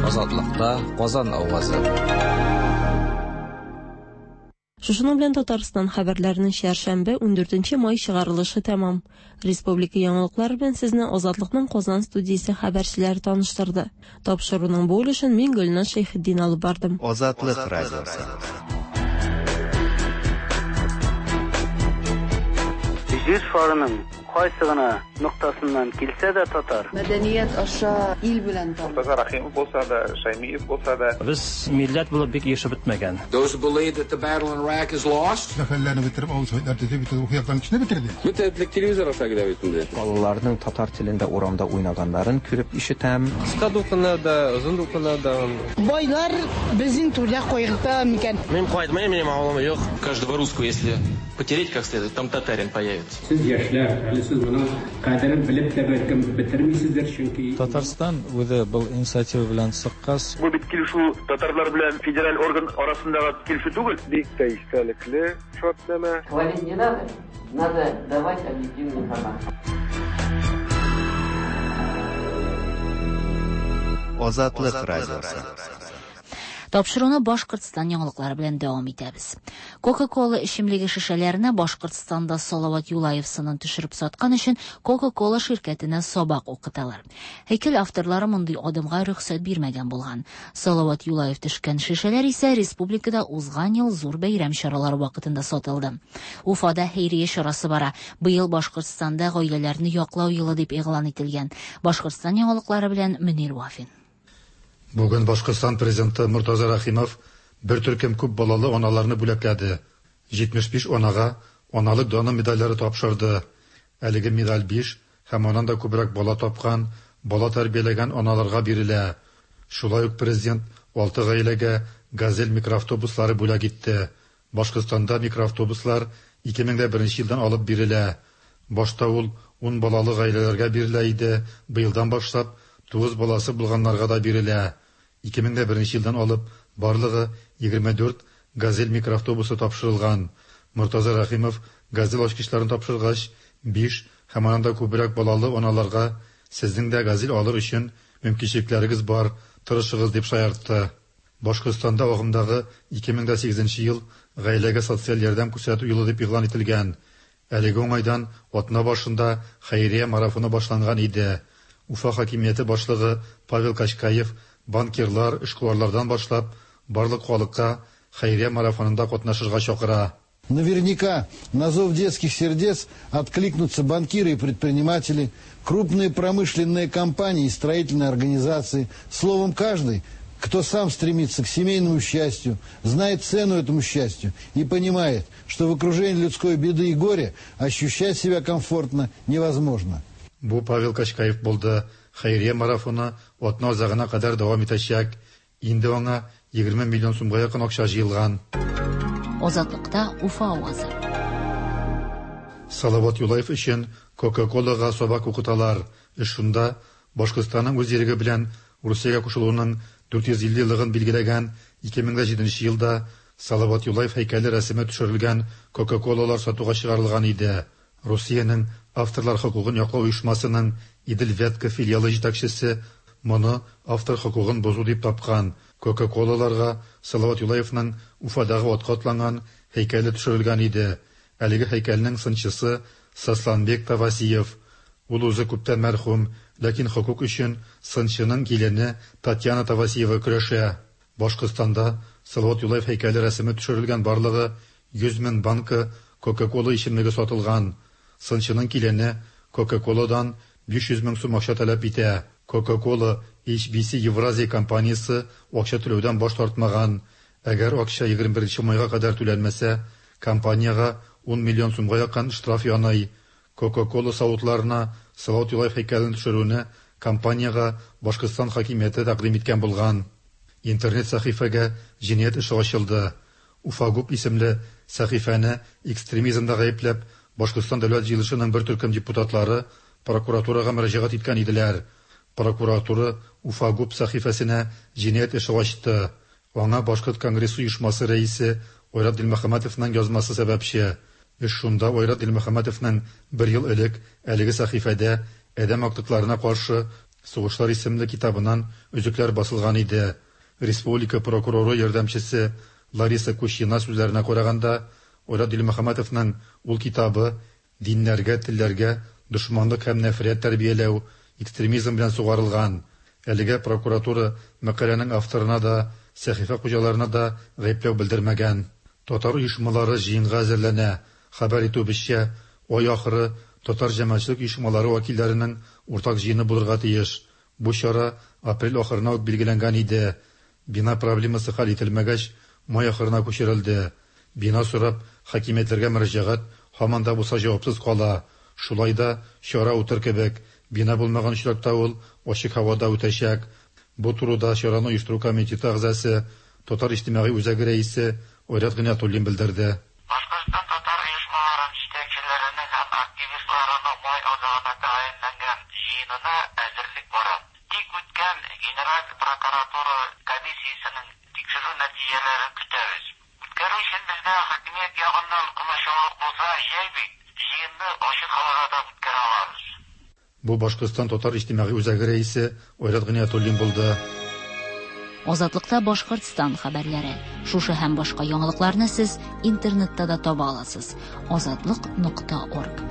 Азатлыкта Казан авазы. Шушының белән Татарстан хәбәрләренең чәршәмбе ундүртенче май чыгарылышы тәмам. Республика яңалыклары белән сезне Азатлыкның Казан студиясе хәбәрчеләре таныштырды. Тапшыруның бу өлешен мин Гөлназ Шәйхетдин алып бардым. Азатлык радиосы. Җир шарының кайсы гына ноктасыннан килсә дә татар. Мәдәният аша ил белән таныш. Муртаза Рахимов булса да, Шаймиев булса да. Без милләт булып бик яшәп бетмәгән. Those who believe that the battle in Iraq is lost. Зафәрләрне бетереп, авыл советлар төзеп, бит ул яктан кешене бетерде. Бөтен телевизор аша килә бит инде. Балаларның татар телендә урамда уйнаганнарын күреп ишетәм. Кыска дулкыннарда, озын дулкыннарда. Байлар безнең түрдә кайгырта микән? Мин кайтмыйм, минем авылым юк. Каждого русского, если потереть как следует, там татарин появится. Сез яшьләр, әле сез моның кадерен белеп тә бәлкем бетермисездер, чөнки Татарстан үзе был инициатива белән чыккач. Бу бит килешү татарлар белән федераль орган арасындагы килешү түгел. Бик тә истәлекле шартнамә. Хвалить не надо, надо давать объективную информацию. Азатлык радиосы. Тапшыруны Башкортстан яңалыклары белән дәвам итәбез. Кока-кола эчемлеге шешәләренә Башкортстанда Салават Юлаев сынын төшереп саткан өчен Кока-кола ширкәтенә сабак укыталар. Һәйкәл авторлары мондый адымга рөхсәт бирмәгән булган. Салават Юлаев төшкән шешәләр исә республикада узган ел зур бәйрәм чаралары вакытында сатылды. Уфада хәйрия чарасы бара. Быел Башкортстанда гаиләләрне яклау елы дип игълан ителгән. Башкортстан яңалыклары белән Мөнир Вафин. Бүген Башкортстан президенты Муртаза Рахимов бер төркем күп балалы аналарны бүләкләде. җитмеш биш анага аналык даны медальләре тапшырды. Әлеге медаль биш һәм аннан да күбрәк бала тапкан, бала тәрбияләгән аналарга бирелә. Шулай ук президент алты гаиләгә «Газель» микроавтобуслары бүләк итте. Башкортстанда микроавтобуслар ике мең дә беренче елдан алып бирелә. Башта ул ун балалы гаиләләргә бирелә иде, быелдан башлап тугыз баласы булганнарга да бирелә. ике мең дә беренче елдан алып барлыгы егерме дүрт «Газель» микроавтобусы тапшырылган. Муртаза Рахимов «Газель» ачкычларын тапшыргач, биш һәм аннан да күбрәк балалы аналарга сезнең дә «Газель» алыр өчен мөмкинчелекләрегез бар, тырышыгыз дип шаяртты. Башкортстанда агымдагы ике мең дә сигезенче ел гаиләгә социаль ярдәм күрсәтү елы дип игълан ителгән. Әлеге уңайдан атна башында хәйрия марафоны башланган иде. Уфа хакимияте башлыгы Павел Качкаев банкирлар, эшкуарлардан башлап барлык халыкка хәйрия марафонында катнашырга чакыра. Наверняка на зов детских сердец откликнутся банкиры и предприниматели, крупные промышленные компании и строительные организации. Словом, каждый, кто сам стремится к семейному счастью, знает цену этому счастью и понимает, что в окружении людской беды и горя ощущать себя комфортно невозможно. Бу Павел Качкаев булды. Хәйрия марафоны атна азагына кадәр дәвам итәчәк. Инде аңа егерме миллион сумга якын акча җыелган. Азатлыкта Уфа авазы. Салават Юлаев өчен Кока-Колага сабак укыталар. Эш шунда, Башкортстанның үз иреге белән Русиягә кушылуының дүрт йөз илле еллыгын билгеләгән ике мең җиденче елда Салават Юлаев һәйкәле рәсеме төшерелгән Кока-Колалар сатуга чыгарылган иде. Русиянең авторлар хокукын яклау оешмасының Идел-Вятка филиалы җитәкчесе моны автор хокукын бозу дип тапкан. Кока-Колаларга Салават Юлаевның Уфадагы атка атланган һәйкәле төшерелгән иде. Әлеге һәйкәлнең сынчысы Сосланбек Тавасиев. Ул үзе күптән мәрхүм, ләкин хокук өчен сынчының килене Татьяна Тавасиева көрәшә. Башкортстанда Салават Юлаев һәйкәле рәсеме төшерелгән барлыгы йөз мең банка Кока-Кола эчемлеге сатылган. Сынчының килене Кока-Коладан биш йөз мең сум акча таләп итә. Кока-Кола Эйч Би Си Евразия компаниясе акча түләүдән баш тартмаган. Әгәр акча егерме беренче майга кадәр түләнмәсә, компаниягә ун миллион сумга якын штраф яный. Кока-Кола савытларына Салават Юлаев һәйкәлен төшерүне компаниягә Башкортстан хакимияте тәкъдим иткән булган. Интернет сәхифәгә җинаять эше ачылды. Уфагуп исемле сәхифәне экстремизмда гаепләп, Башкортстан дәүләт җыелышының бер төркем депутатлары прокуратурага мөрәҗәгать иткән иделәр. Прокуратура Уфагуп сәхифәсенә җинаять эше ачты. Аңа Башкорт конгрессы оешмасы рәисе Айрат Дилмөхәммәтовның язмасы сәбәпче. Эш шунда, Айрат Дилмөхәммәтовның бер ел элек әлеге сәхифәдә Адәм актыкларына каршы сугышлар исемле китабыннан өзекләр басылган иде. Республика прокуроры ярдәмчесе Лариса Кущина сүзләренә караганда, Айрат Дилмөхәммәтовның ул китабы диннәргә, телләргә дошманлык һәм нәфрәт тәрбияләү, экстремизм белән сугарылган. Әлегә прокуратура мәкаләнең авторына да, сәхифә хуҗаларына да гаепләү белдермәгән. Татар оешмалары җыенга әзерләнә. Хәбәр итүебезчә, ай ахыры татар җәмәгатьчелек оешмалары вәкилләренең уртак җыены булырга тиеш. Бу чара апрель ахырына ук билгеләнгән иде. Бина проблемасы хәл ителмәгәч, май ахырына күчерелде. Бина сорап хакимиятләргә мөрәҗәгать һаман да булса җавапсыз кала. Шулай да чара үтер кебек. Бина булмаган очракта ул ачык һавада үтәчәк. Бу турыда чараны оештыру комитеты әгъзасы, Татар иҗтимагый үзәге рәисе Айрат Гыйниятуллин белдерде. Башкортстан татар оешмаларын җитәкчеләренең һәм активистларының май азагына тәгаенләнгән җыенына әзерлек бара. Тик үткән Генераль прокуратура комиссиясенең тикшерү нәтиҗәләрен көтәбез. Үткәрү өчен безгә хакимият ягыннан комачаулык булса, җәй бит, җыенны ачык һавада да үткәрә алабыз. Бу Башкортстан татар иҗтимагый үзәге рәисе Айрат Гыйниятуллин булды. Азатлыкта Башкортстан хәбәрләре. Шушы һәм башка яңалыкларны сез интернетта да таба аласыз. Азатлык нокта орг.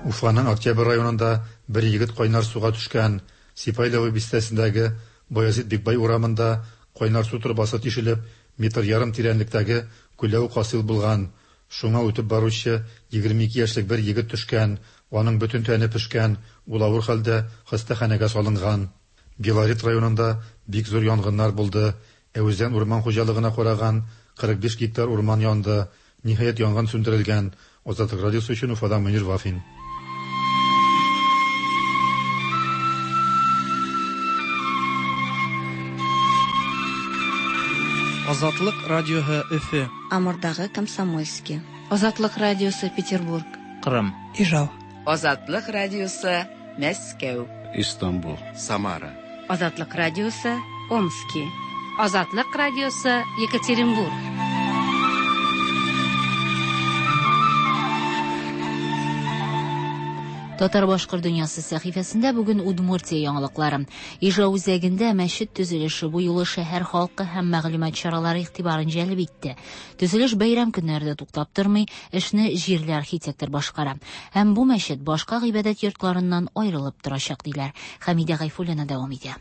Уфаның Октябрь районында бер егет кайнар суга төшкән. Сипайлово бистәсендәге Баязит Бикбай урамында кайнар су торбасы тишелеп, метр ярым тирәнлектәге күләү хасил булган. Шуңа үтеп баручы егерме ике яшьлек бер егет төшкән. Аның бөтен тәне пешкән, ул авыр хәлдә хастаханәгә салынган. Белорет районында бик зур янгыннар булды. Әүзән урман хуҗалыгына караган кырык биш гектар урман янды. Ниһаять янгын сүндерелгән. Азатлык радиосы өчен Уфадан Мөнир Вафин. Азатлык радиоһы Өфө. Амурдагы Комсомольский. Азатлык радиосы Петербург. Кырым. Ижау. Азатлык радиосы Мәскәү. Истанбул. Самара. Азатлык радиосы Омски. Азатлык радиосы Екатеринбург. Татар башкорт дөньясы сәхифәсендә бүген Удмуртия яңалыклары. Ижау үзәгендә мәчет төзелеше бу юлы шәһәр халкы һәм мәгълүмат чаралары игътибарын җәлеп итте. Төзелеш бәйрәм көннәрендә туктап тормый, эшне җирле архитектор башкара. Һәм бу мәчет башка гыйбадәт йортларыннан аерылып торачак диләр. Хәмидә Гайфуллина дәвам итә.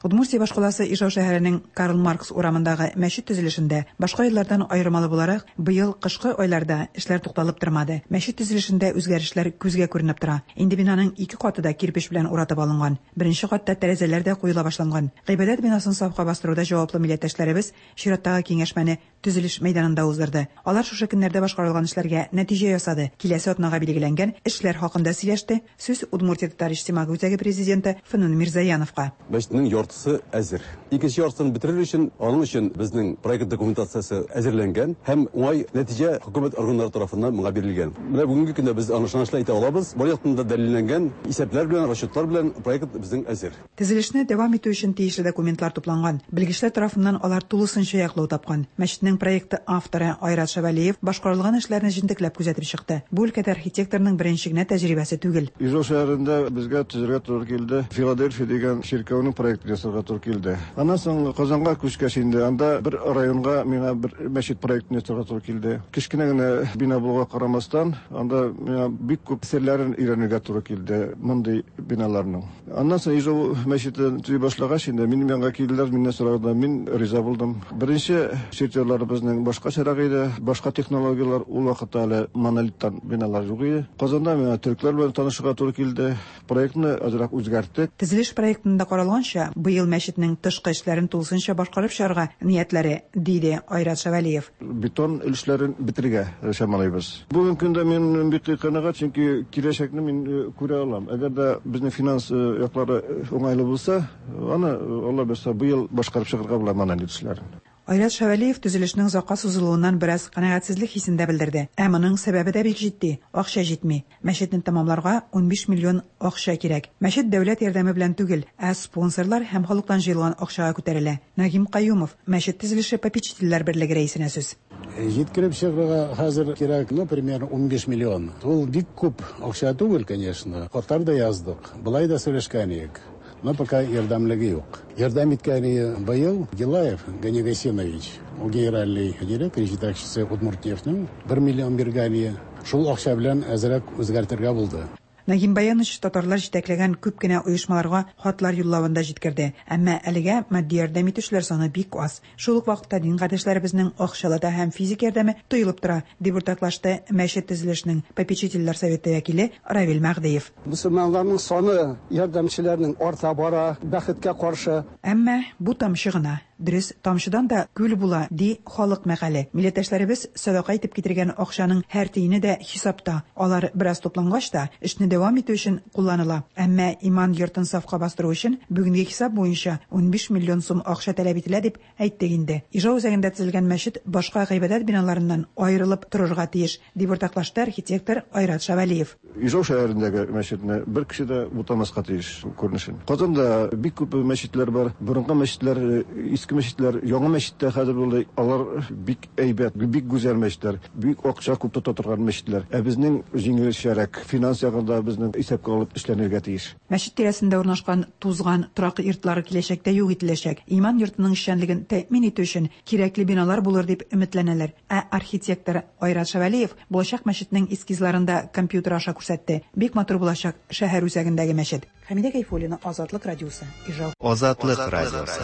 Удмуртия башкаласы Ижау шәһәренең Карл Маркс урамындагы мәчет төзелешендә башка еллардан аермалы буларак, быел кышкы айларда эшләр тукталып тормады. Мәчет төзелешендә үзгәрешләр күзгә күренеп тора. Инде бинаның ике каты да кирпеч белән уратып алынган. Беренче катта тәрәзәләр дә куела башланган. Гыйбадәт бинасын сафка бастыруда җаваплы милләттәшләребез чираттагы киңәшмәне төзелеш мәйданында уздырды. Алар шушы көннәрдә башкарылган эшләргә нәтиҗә ясады. Киләсе атнага билгеләнгән эшләр хакында сөйләште. Сүз Удмуртия татар иҗтимагый үзәге президенты Фәнүн Мирзаяновка. Мәчетнең яртысы әзер. Икенче яртысын бетерер өчен, аның өчен безнең проект документациясе әзерләнгән һәм уңай нәтиҗә хөкүмәт органнары тарафыннан моңа бирелгән. Менә бүгенге көндә без аны ышанычлы әйтә алабыз. Бар яктан да дәлилләнгән исәпләр белән, расчетлар белән проект безнең әзер. Төзелешне дәвам итү өчен тиешле документлар тупланган. Белгечләр тарафыннан алар тулысынча яклау тапкан. Мәчетнең проекты авторы Айрат Шавалиев башкарылган эшләрне җентекләп күзәтеп чыкты. Бу өлкәдә архитекторның беренче генә тәҗрибәсе түгел. Ижау шәһәрендә безгә төзергә туры килде. Филадельфия дигән чиркәүнең проектын ясарга туры килде. Аннан соң Казанга күчкәч инде анда бер районга миңа бер мәчет проектын ясарга туры килде. Кечкенә генә бина булуга карамастан, анда миңа бик күп серләрен өйрәнергә туры килде мондый биналарның. Аннан соң Ижау мәчетен төзи башлагач инде минем янга килделәр, миннән сорадылар, мин риза булдым. Беренче чертежлар безнең башкачарак иде, башка технологияләр ул вакытта әле монолиттан биналар юк иде. Казанда миңа төрекләр белән танышырга туры килде. Проектны азрак үзгәрттек. Төзелеш проектында каралганча, быел мәчетнең тышкы эшләрен тулысынча башкарып чыгарга ниятләре, диде Айрат Шавалиев. Бетон өлешләрен бетерергә чамалыйбыз. Бүгенге көндә мин бик канәгать, чөнки киләчәкне мин күрә алам. Әгәр дә безнең финанс яклары уңайлы булса, аны Алла бирсә быел башкарып чыгарга була монолит эшләрен. Айрат Шавалиев төзелешнең озакка сузылуыннан бераз канәгатьсезлек хисен дә белдерде. Ә моның сәбәбе дә бик җитди: акча җитми. Мәчетне тәмамларга унбиш миллион акча кирәк. Мәчет дәүләт ярдәме белән түгел, ә спонсорлар һәм халыктан җыелган акчага күтәрелә. Нагим Каюмов, мәчет төзелеше попечительләр берлеге рәисенә сүз. Җиткереп чыгарга хәзер кирәк, ну, примерно унбиш миллион. Ул бик күп акча түгел, конечно. Хатлар да яздык, былай да сөйләшкән идек. Но пока ярдәмлеге юк. Ярдәм иткәне быел Гилаев Гани Гасинович, ул генеральный директор, җитәкчесе Удмуртнефтьнең бер миллион биргәне. Шул акча белән әзрәк үзгәртергә булды. Нагим Баянович татарлар җитәкләгән күп кенә оешмаларга хатлар юллавын да җиткерде. Әмма әлегә матди ярдәм итүчеләр саны бик аз. Шул ук вакытта дин кардәшләребезнең акчалата һәм физик ярдәме тоелып тора, дип уртаклашты мәчет төзелешенең попечительләр советы вәкиле Равил Мәгъдиев. Мөселманнарның саны ярдәмчеләрнең арта бара, бәхеткә каршы. Әмма бу тамчы гына. Дөрес, тамчыдан да күл була, ди халык мәкале. Милләттәшләребез садака итеп китергән акчаның һәр тиене дә хисапта. Алар бераз туплангач та эшне дәвам итү өчен кулланыла. Әмма иман йортын сафка бастыру өчен бүгенге хисап буенча унбиш миллион сум акча таләп ителә дип әйттек инде. Ижау үзәгендә төзелгән мәчет башка гыйбадәт биналарыннан аерылып торырга тиеш, дип уртаклашты архитектор Айрат Шавалиев. Ижау шәһәрендәге мәчетне бер кеше дә бутамаска тиеш күренешен. Казанда бик күп мәчетләр бар. Борынгы мәчетләр, иске мәчетләр, яңа мәчеттә хәзер булды. Алар бик әйбәт, бик гүзәл мәчетләр, бик акча күп тота торган мәчетләр. Ә безнең җиңелчәрәк финанс ягында безнең исәпкә алып эшләнергә тиеш. Мәчет тирәсендә урнашкан тузган торак йортлары киләчәктә юк ителәчәк. Иман йортының эшчәнлеген тәэмин итү өчен кирәкле биналар булыр дип өметләнәләр. Ә архитектор Айрат Шавалиев булачак мәчетнең эскизларын да компьютер аша күрсәтте. Бик матур булачак шәһәр үзәгендәге мәчет. Хәмидә Гайфуллина, Азатлык радиосы, Ижау. Азатлык радиосы.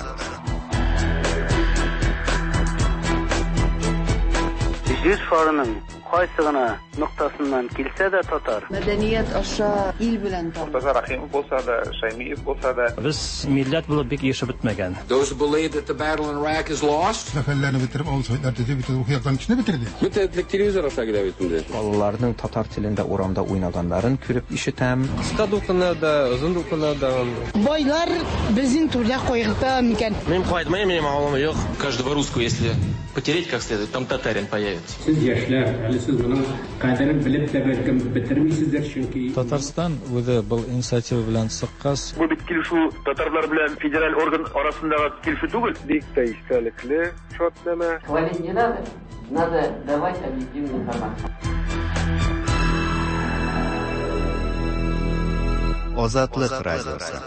Җир шарының кайсы гына ноктасыннан килсә дә татар. Мәдәният аша ил белән танып. Муртаза Рахимов булса да, Шаймиев булса да. Без милләт булып бик яшәп бетмәгән. Those who believe that the battle in Iraq is lost. Сәфәрләрне бетереп, авыл советлар төзеп, бөтен рухиятларын кешене бетерде. Бөтен телевизор аша килә бит инде. Балаларның татар телендә урамда уйнаганнарын күреп ишетәм. Кыска дулкыннарда, озын дулкыннарда. Байлар безнең түрдә кайгырта микән? Мин кайтмыйм, минем авылым юк. Каждого русского, если потереть как следует, там татарин появится. Сез яшьләр, әле сез моның кадерен белеп тә бәлкем бетермисездер, чөнки Татарстан үзе был инициатива белән чыккач. Бу бит килешү татарлар белән федераль орган арасындагы килешү түгел. Бик тә истәлекле шартнамә. Хвалить не надо, надо давать объективную информацию. Азатлык радиосы.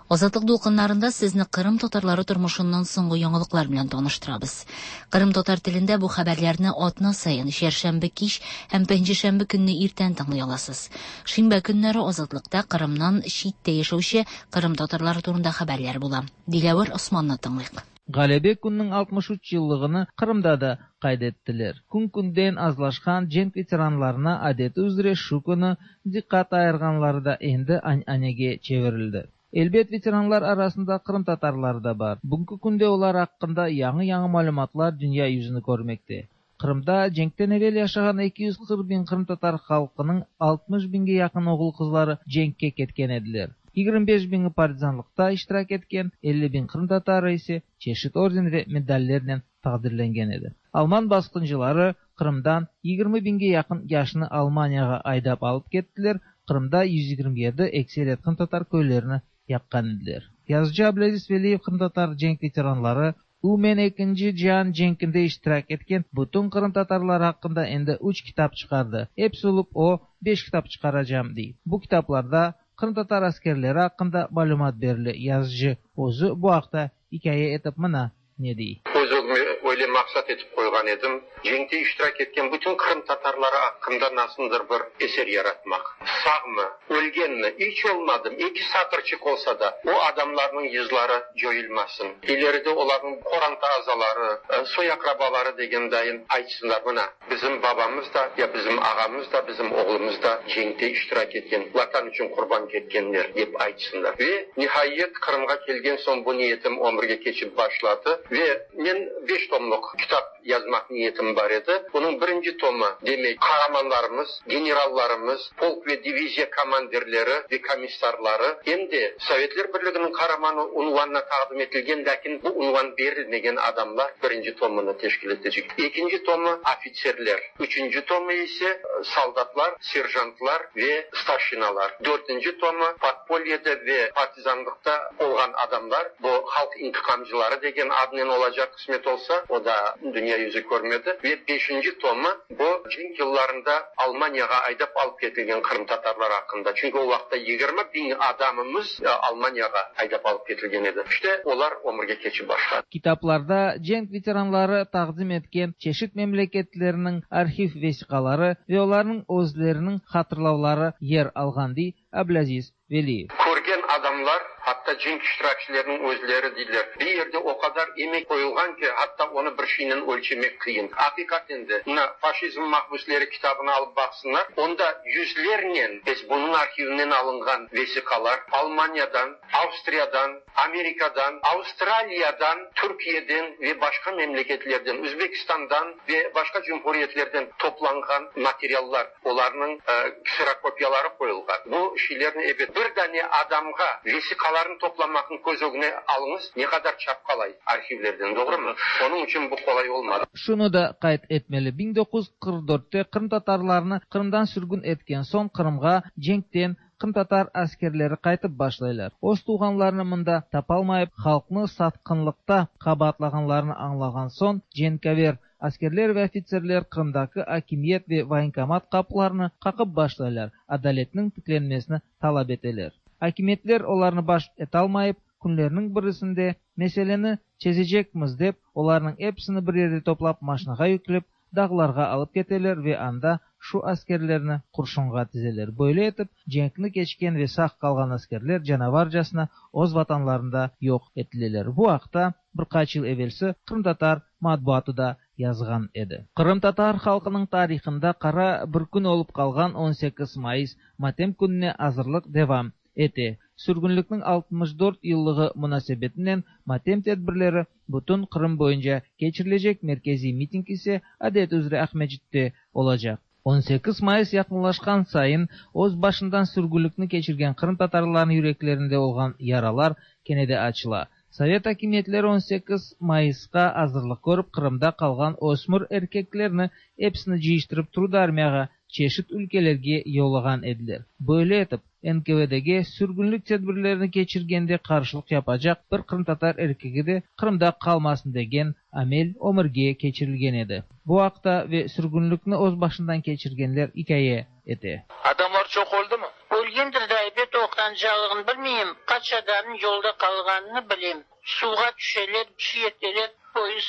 Азатлык дулкыннарында сезне Кырым татарлары тормышыннан соңгы яңалыклар белән таныштырабыз. Кырым татар телендә бу хәбәрләрне атна саен чәршәмбе кич һәм пәнҗешәмбе көнне иртән тыңлый аласыз. Шимбә көннәре Азатлыкта Кырымнан читтә яшәүче Кырым татарлары турында хәбәрләр була. Диләвер Османны тыңлыйк. Ğalebe kününiñ altmış üç yıllığını Qırımda da qayd ettiler. Kün-künden azlaşqan cenk veteranlarına adeti üzre şu künü diqqat ayırğanları da endi ananege çevirildi. Elbet, veteranlar arasında qırımtatarları da bar. Bugünki künde olar aqqında yañı-yañı malümatlar dünya yüzüni körmekte. Qırımda cenkten evel yaşağan eki yüz qırq biñ qırımtatar halqınıñ altmış biñge yaqın oğul-qızları cenkke ketken ediler. Yigirmi beş biñi partizanlıqta iştirak etken, elli biñ qırımtatarı ise çeşit orden ve medallernen taqdirlengen edi. Alman basqıncıları Qırımdan yigirmi biñge yaqın yaşnı Almaniyağa aydap alıp kettiler, Qırımda yüz yigirmi yedi ekseriyet qırımtatar köylerini yaqqan ediler. Yazıcı Ablâziz Veliyev qırımtatar cenk veteranları, umumen ekinci cian cenkinde iştirak etken bütün qırımtatarlar aqqında endi üç kitap çıqardı. Episi olıp o, beş kitap çıqaracam, dey. Bu kitaplarda qırımtatar askerleri aqqında malümat berile. Yazıcı özü bu aqta ikâye etip mına ne dey. Öz ögüme öyle maqsat etip qoyğan edim, cenkte iştirak etken bütün qırımtatarları aqqında nasıldır bir eser yaratmaq. Sağmı, ölgenmi, iç olmadım, eki satırçıq olsa da, o adamlarnıñ yızları coyulmasın. İleride olarnıñ qoranta azaları, soy-aqrabaları degen dayın aytsınlar, mına, bizim babamız da, ya bizim ağamız da, bizim oğlumız da cenkte iştirak etken, Vatan içün qurban ketkenler, dep aytsınlar. Ve nihayet Qırımğa kelgen soñ bu niyetim ömürge keçip başladı. Ve men beş tomluq kitap yazmaq niyetim bar edi. Bunıñ birinci tomı, demek, qaramanlarımız, generallarımız, polk ve diviziya komandirleri ve komissarları, em de Sovetler Birliginiñ Qaramanı unvanına taqdim etilgen, lâkin bu unvan berilmegen adamlar birinci tomını teşkil etecek. Ekinci tomı, ofitserler. Üçünci tomı ise, soldatlar, serjantlar ve starşinalar. Dörtünci tomı, podpolyede ve partizanlıqta olğan adamlar, bu halq intiqamcıları degen adnen olacaq, qısmet olsa, o da dünya yüzü körmedi. Ve beşinci tomı, bu cenk yıllarında Almaniyağa aydap alıp ketilgen qırımtatarlar aqqında. Çünki o vaqıtta yigirmi biñ adamımız Almaniyağa aydap alıp ketilgen edi. İşte, olar ömürge keçip başladı. Kitaplarda cenk veteranları taqdim etken çeşit memleketlerniñ arhiv vesiqaları ve olarnıñ özleriniñ hatırlavları yer alğan, dey Ablâziz Veliyev. Körgen adamlar, hatta cenk iştirakçileriniñ özleri deyler, bir yerde o qadar emek qoyulğan ki, hatta onı bir şeynen ölçemek qıyın. Aqiqaten de, mına, Faşizm mahbüsleri kitabını alıp baqsınlar, onda yüzlernen bunıñ arhivinden alınğan vesiqalar Almaniyadan, Avstriyadan, Amerikadan, Avstraliyadan, Türkiyeden ve başqa memleketlerden, Özbekistandan ve başqa cumhuriyetlerden toplanğan materiallar, olarnıñ kserokopiyaları qoyulğan. Bu şeylerni ebet bir dane adamğa vesiqalarnı toplamaqnı köz ögüne alıñız, ne qadar çapqalay arhivlerden, doğrumı? Onıñ içün bu qolay olmadı. Şunı da qayd etmeli, biñ doquz yüz qırq dörtte qırımtatarlarnı Qırımdan sürgün etken soñ Qırımğa cenkten qırımtatar askerleri qaytıp başlaylar. Öz tuvğanlarını mında tapalmayıp, halqnı satqınlıqta qabaatlağanlarını añlağan soñ, cenkâver askerler ve ofitserler Qırımdaki akimiyet ve voyenkomat qapılarını qaqıp başlaylar, adaletniñ tiklenmesini talap eteler. Akimiyetler olarnı baş etalmayıp, künlerniñ birisinde meseleni çezecekmiz dep, olarnıñ episini bir yerde toplap maşinağa yüklep, dağlarğa alıp keteler ve anda şu askerlerni qurşunğa tizeler. Böyle etip, cenkni keçken ve sağ qalğan askerler canavarcasına öz vatanlarında yoq etileler. Bu aqta bir qaç yıl evelsi qırımtatar matbuatı da yazğan edi. Qırımtatar halqınıñ tarihında qara bir kün olıp qalğan on sekiz mayıs matem kününe azırlıq devam ete. Sürgünlikniñ altmış dört yıllığı munasebetinen matem tedbirleri bütün Qırım boyunca keçirilecek, merkeziy miting ise adet üzre Aqmescitte olacaq. on sekiz mayıs yaqınlaşqan sayın öz başından sürgünlikni keçirgen qırımtatarlarnıñ yüreklerinde olğan yaralar kene de açıla. Sovet akimiyetleri on sekiz mayısqa azırlıq körip, Qırımda qalğan ösmür erkeklerni episini cıyıştırıp Trudarmiyağa, çeşit ülkelerge yollağan ediler. Böyle etip, N K V D-ge sürgünlik tedbirlerini keçirgende qarşılıq yapacaq bir qırımtatar erkegi de Qırımda qalmasın degen amel ömürge keçirilgen edi. Bu aqta ve sürgünlikni öz başından keçirgenler ikâye ete. Adamlar çoq öldümi? Ölgendir de elbet, oqrancalığını bilmeyim. Qaç adamnıñ yolda qalğanını bilem. Suvğa tüşeler, bir şey eteler, poyezd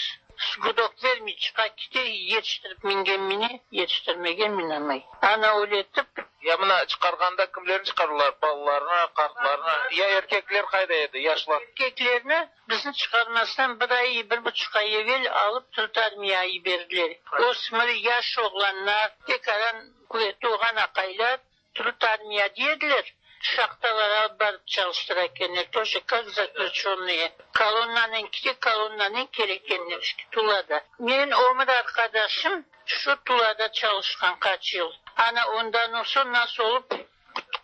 gudok vermey çıqa kete, yetiştirip mingen mine, yetiştirmegen minamay. Ana öyle etip. Ya mına çıqarğanda kimlerni çıqardılar? Balalarnı, qartlarnı? Ya erkekler qayda edi, yaşlar? Erkeklerni bizni çıqarmastan bir ay, bir buçuq ay evel alıp turıp armiyağa yiberdiler. Ösmür, yaş oğlanlar, tekaran quvetli olğan aqaylar turıp armiya ediler. Şahtalara alıp barıp çalıştıra ekenler, тоже как заключенные. Kolonnanen kete, kolonnanen kele ekenler Tulada. Menim ömür arqadaşım şu Tulada çalışqan qaç yıl. Ana ondan soñ nasıl olıp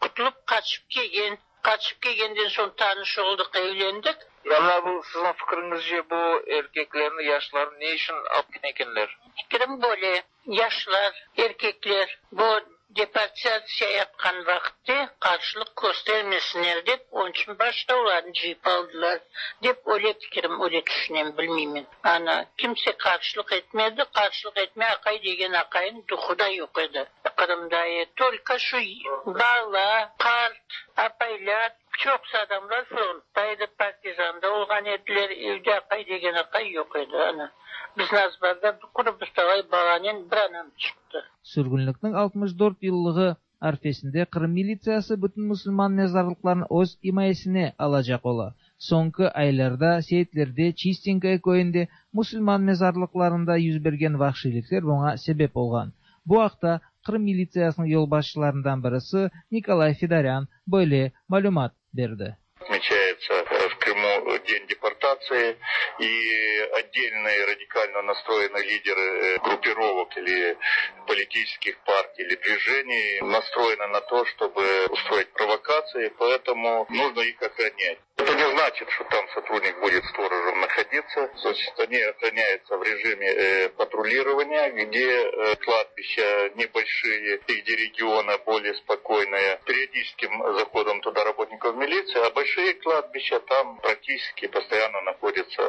qutulıp qaçıp kelgen. Qaçıp kelgenden soñ tanış oldıq, evlendik. Ya mına bu siziñ fikiriñizce bu erkeklerni, yaşlarnı ne içün alıp ketken ekenler? Fikirim böyle, yaşlar, erkekler bu deportatsiya yapqan vaqıtte qarşılıq köstermesinler dep, onıñ içün başta olarnı cıyıp aldılar dep öyle fikirim, öyle tüşünem, bilmeymen. Ana, kimse qarşılıq etmedi, qarşılıq etme aqay degen aqaynıñ duhu da yoq edi Qırımda. Tolko şu bala, qart, apaylar, çoqusı adamlar frontta edi, partizanda olğan ediler, evde aqay degen aqay yoq edi. Ana, bizni azbarda quru bir talay balanen bir anam çıqtı. Sürgünlikniñ altmış dört yıllığı arfesinde Qırım militsiyası bütün musulman mezarlıqlarını öz imayesine alacaq ola. Soñki aylarda Seyitler'de, Çistinkoye köyünde musulman mezarlıqlarında yüz bergen vahşiylikler buña sebep olğan. Bu aqta Qırım militsiyasınıñ yolbaşçılarından birisi Nikolay Fedoryan böyle malümat berdi. Отмечается в Крыму День депортации, и отдельные радикально настроенные лидеры группировок или политических партий или движений настроены на то, чтобы устроить провокации, поэтому нужно их охранять. Это не значит, что там сотрудник будет сторожем находиться. Значит, они охраняются в режиме э, патрулирования, где э, кладбища небольшие и где регионы более спокойные. Периодическим заходом туда работников милиции, а большие кладбища там практически постоянно находятся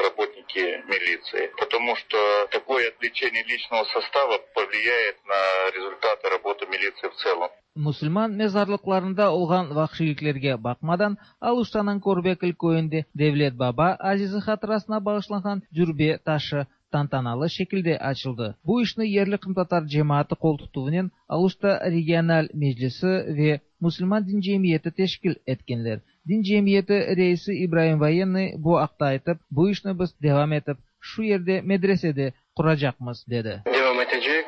работники милиции. Потому что такое отвлечение личного состава повлияет на результаты работы милиции в целом. Musulman mezarlıqlarında olğan vahşiyliklerge baqmadan, Aluştanıñ Körbekül köyünde Devlet Baba azizi hatırasına bağışlanğan dürbe taşı tantanalı şekilde açıldı. Bu işni yerli qırımtatar cemaatı qoltutuvınen Aluşta regional meclisi ve Musulman din cemiyeti teşkil etkenler. Din cemiyeti reisi İbraim Voyennıy bu aqta aytıp, bu işni biz devam etip, şu yerde medresede quracaqmız, dedi. Devam etecek.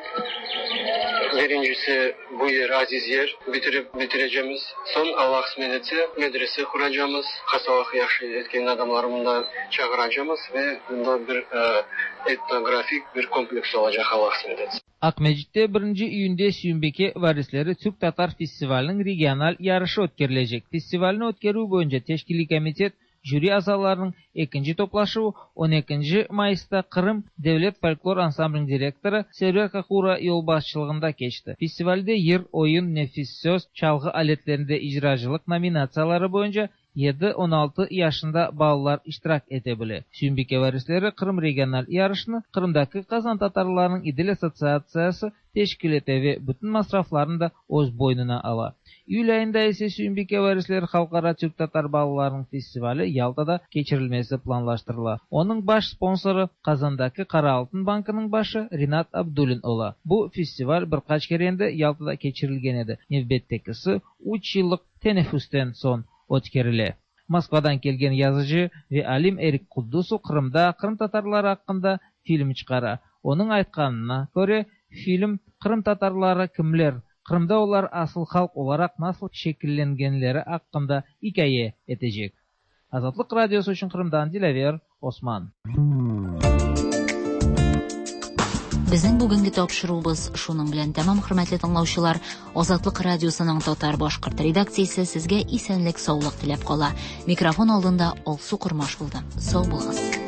Birincisi bu yer aziz yer, bitirip bitireceğimiz. Son Allah kısmet etse medrese kuracağımız, hastalık yahşı etken adamları bunda çağıracağımız ve bunda bir e, etnografik bir kompleks olacak Allah kısmet etse. Aqmescitte birinci iyünde Süyümbike varisleri Türk-Tatar festivaliniñ regional yarışı ötkerilecek. Festivalni ötkerüv boyunca teşkiliy komitet jüri azalarınıñ ekinci toplaşuvı on ekinci mayısta Qırım devlet folklor ansambliniñ direktorı Server Kakura yolbaşçılığında keçti. Festivalde yır, oyun, nefis söz, çalğı aletlerinde icracılıq nominatsiyaları boyunca yedi on altı yaşında balalar iştirak ete bile. Süyümbike varisleri Qırım regional yarışını Qırımdaki Qazan tatarlarınıñ İdil assotsiatsiyası teşkil ete ve bütün masraflarını da öz boynuna ala. İyül ayında ise Süyümbike varisleri Halqara Türk-Tatar balalarınıñ festivali Yaltada keçirilmesi planlaştırıla. Onıñ baş sponsorı Qazandaki Qara Altın bankınıñ başı Rinat Abdulin ola. Bu festival bir qaç kere endi Yaltada keçirilgen edi. Nevbettekisi üç yıllıq teneffüsten soñ ötkerile. Moskvadan kelgen yazıcı ve alim Erik Kuddusov Qırımda qırımtatarlar aqqında film çıqara. Onıñ aytqanına köre, film qırımtatarları kimler, Qırımda olar asıl halq olaraq nasıl şekillengenleri aqqında ikâye etecek. Azatlıq Radiosı içün Qırımdan Dilâver Osman. Безнең бүгенге тапшыруыбыз шуның белән тәмам, хөрмәтле тыңлаучылар. Азатлык радиосының татар башкорт редакциясе сезгә исәнлек, саулык теләп кала. Микрофон алдында Алсу Кормаш булды. Сау булыгыз.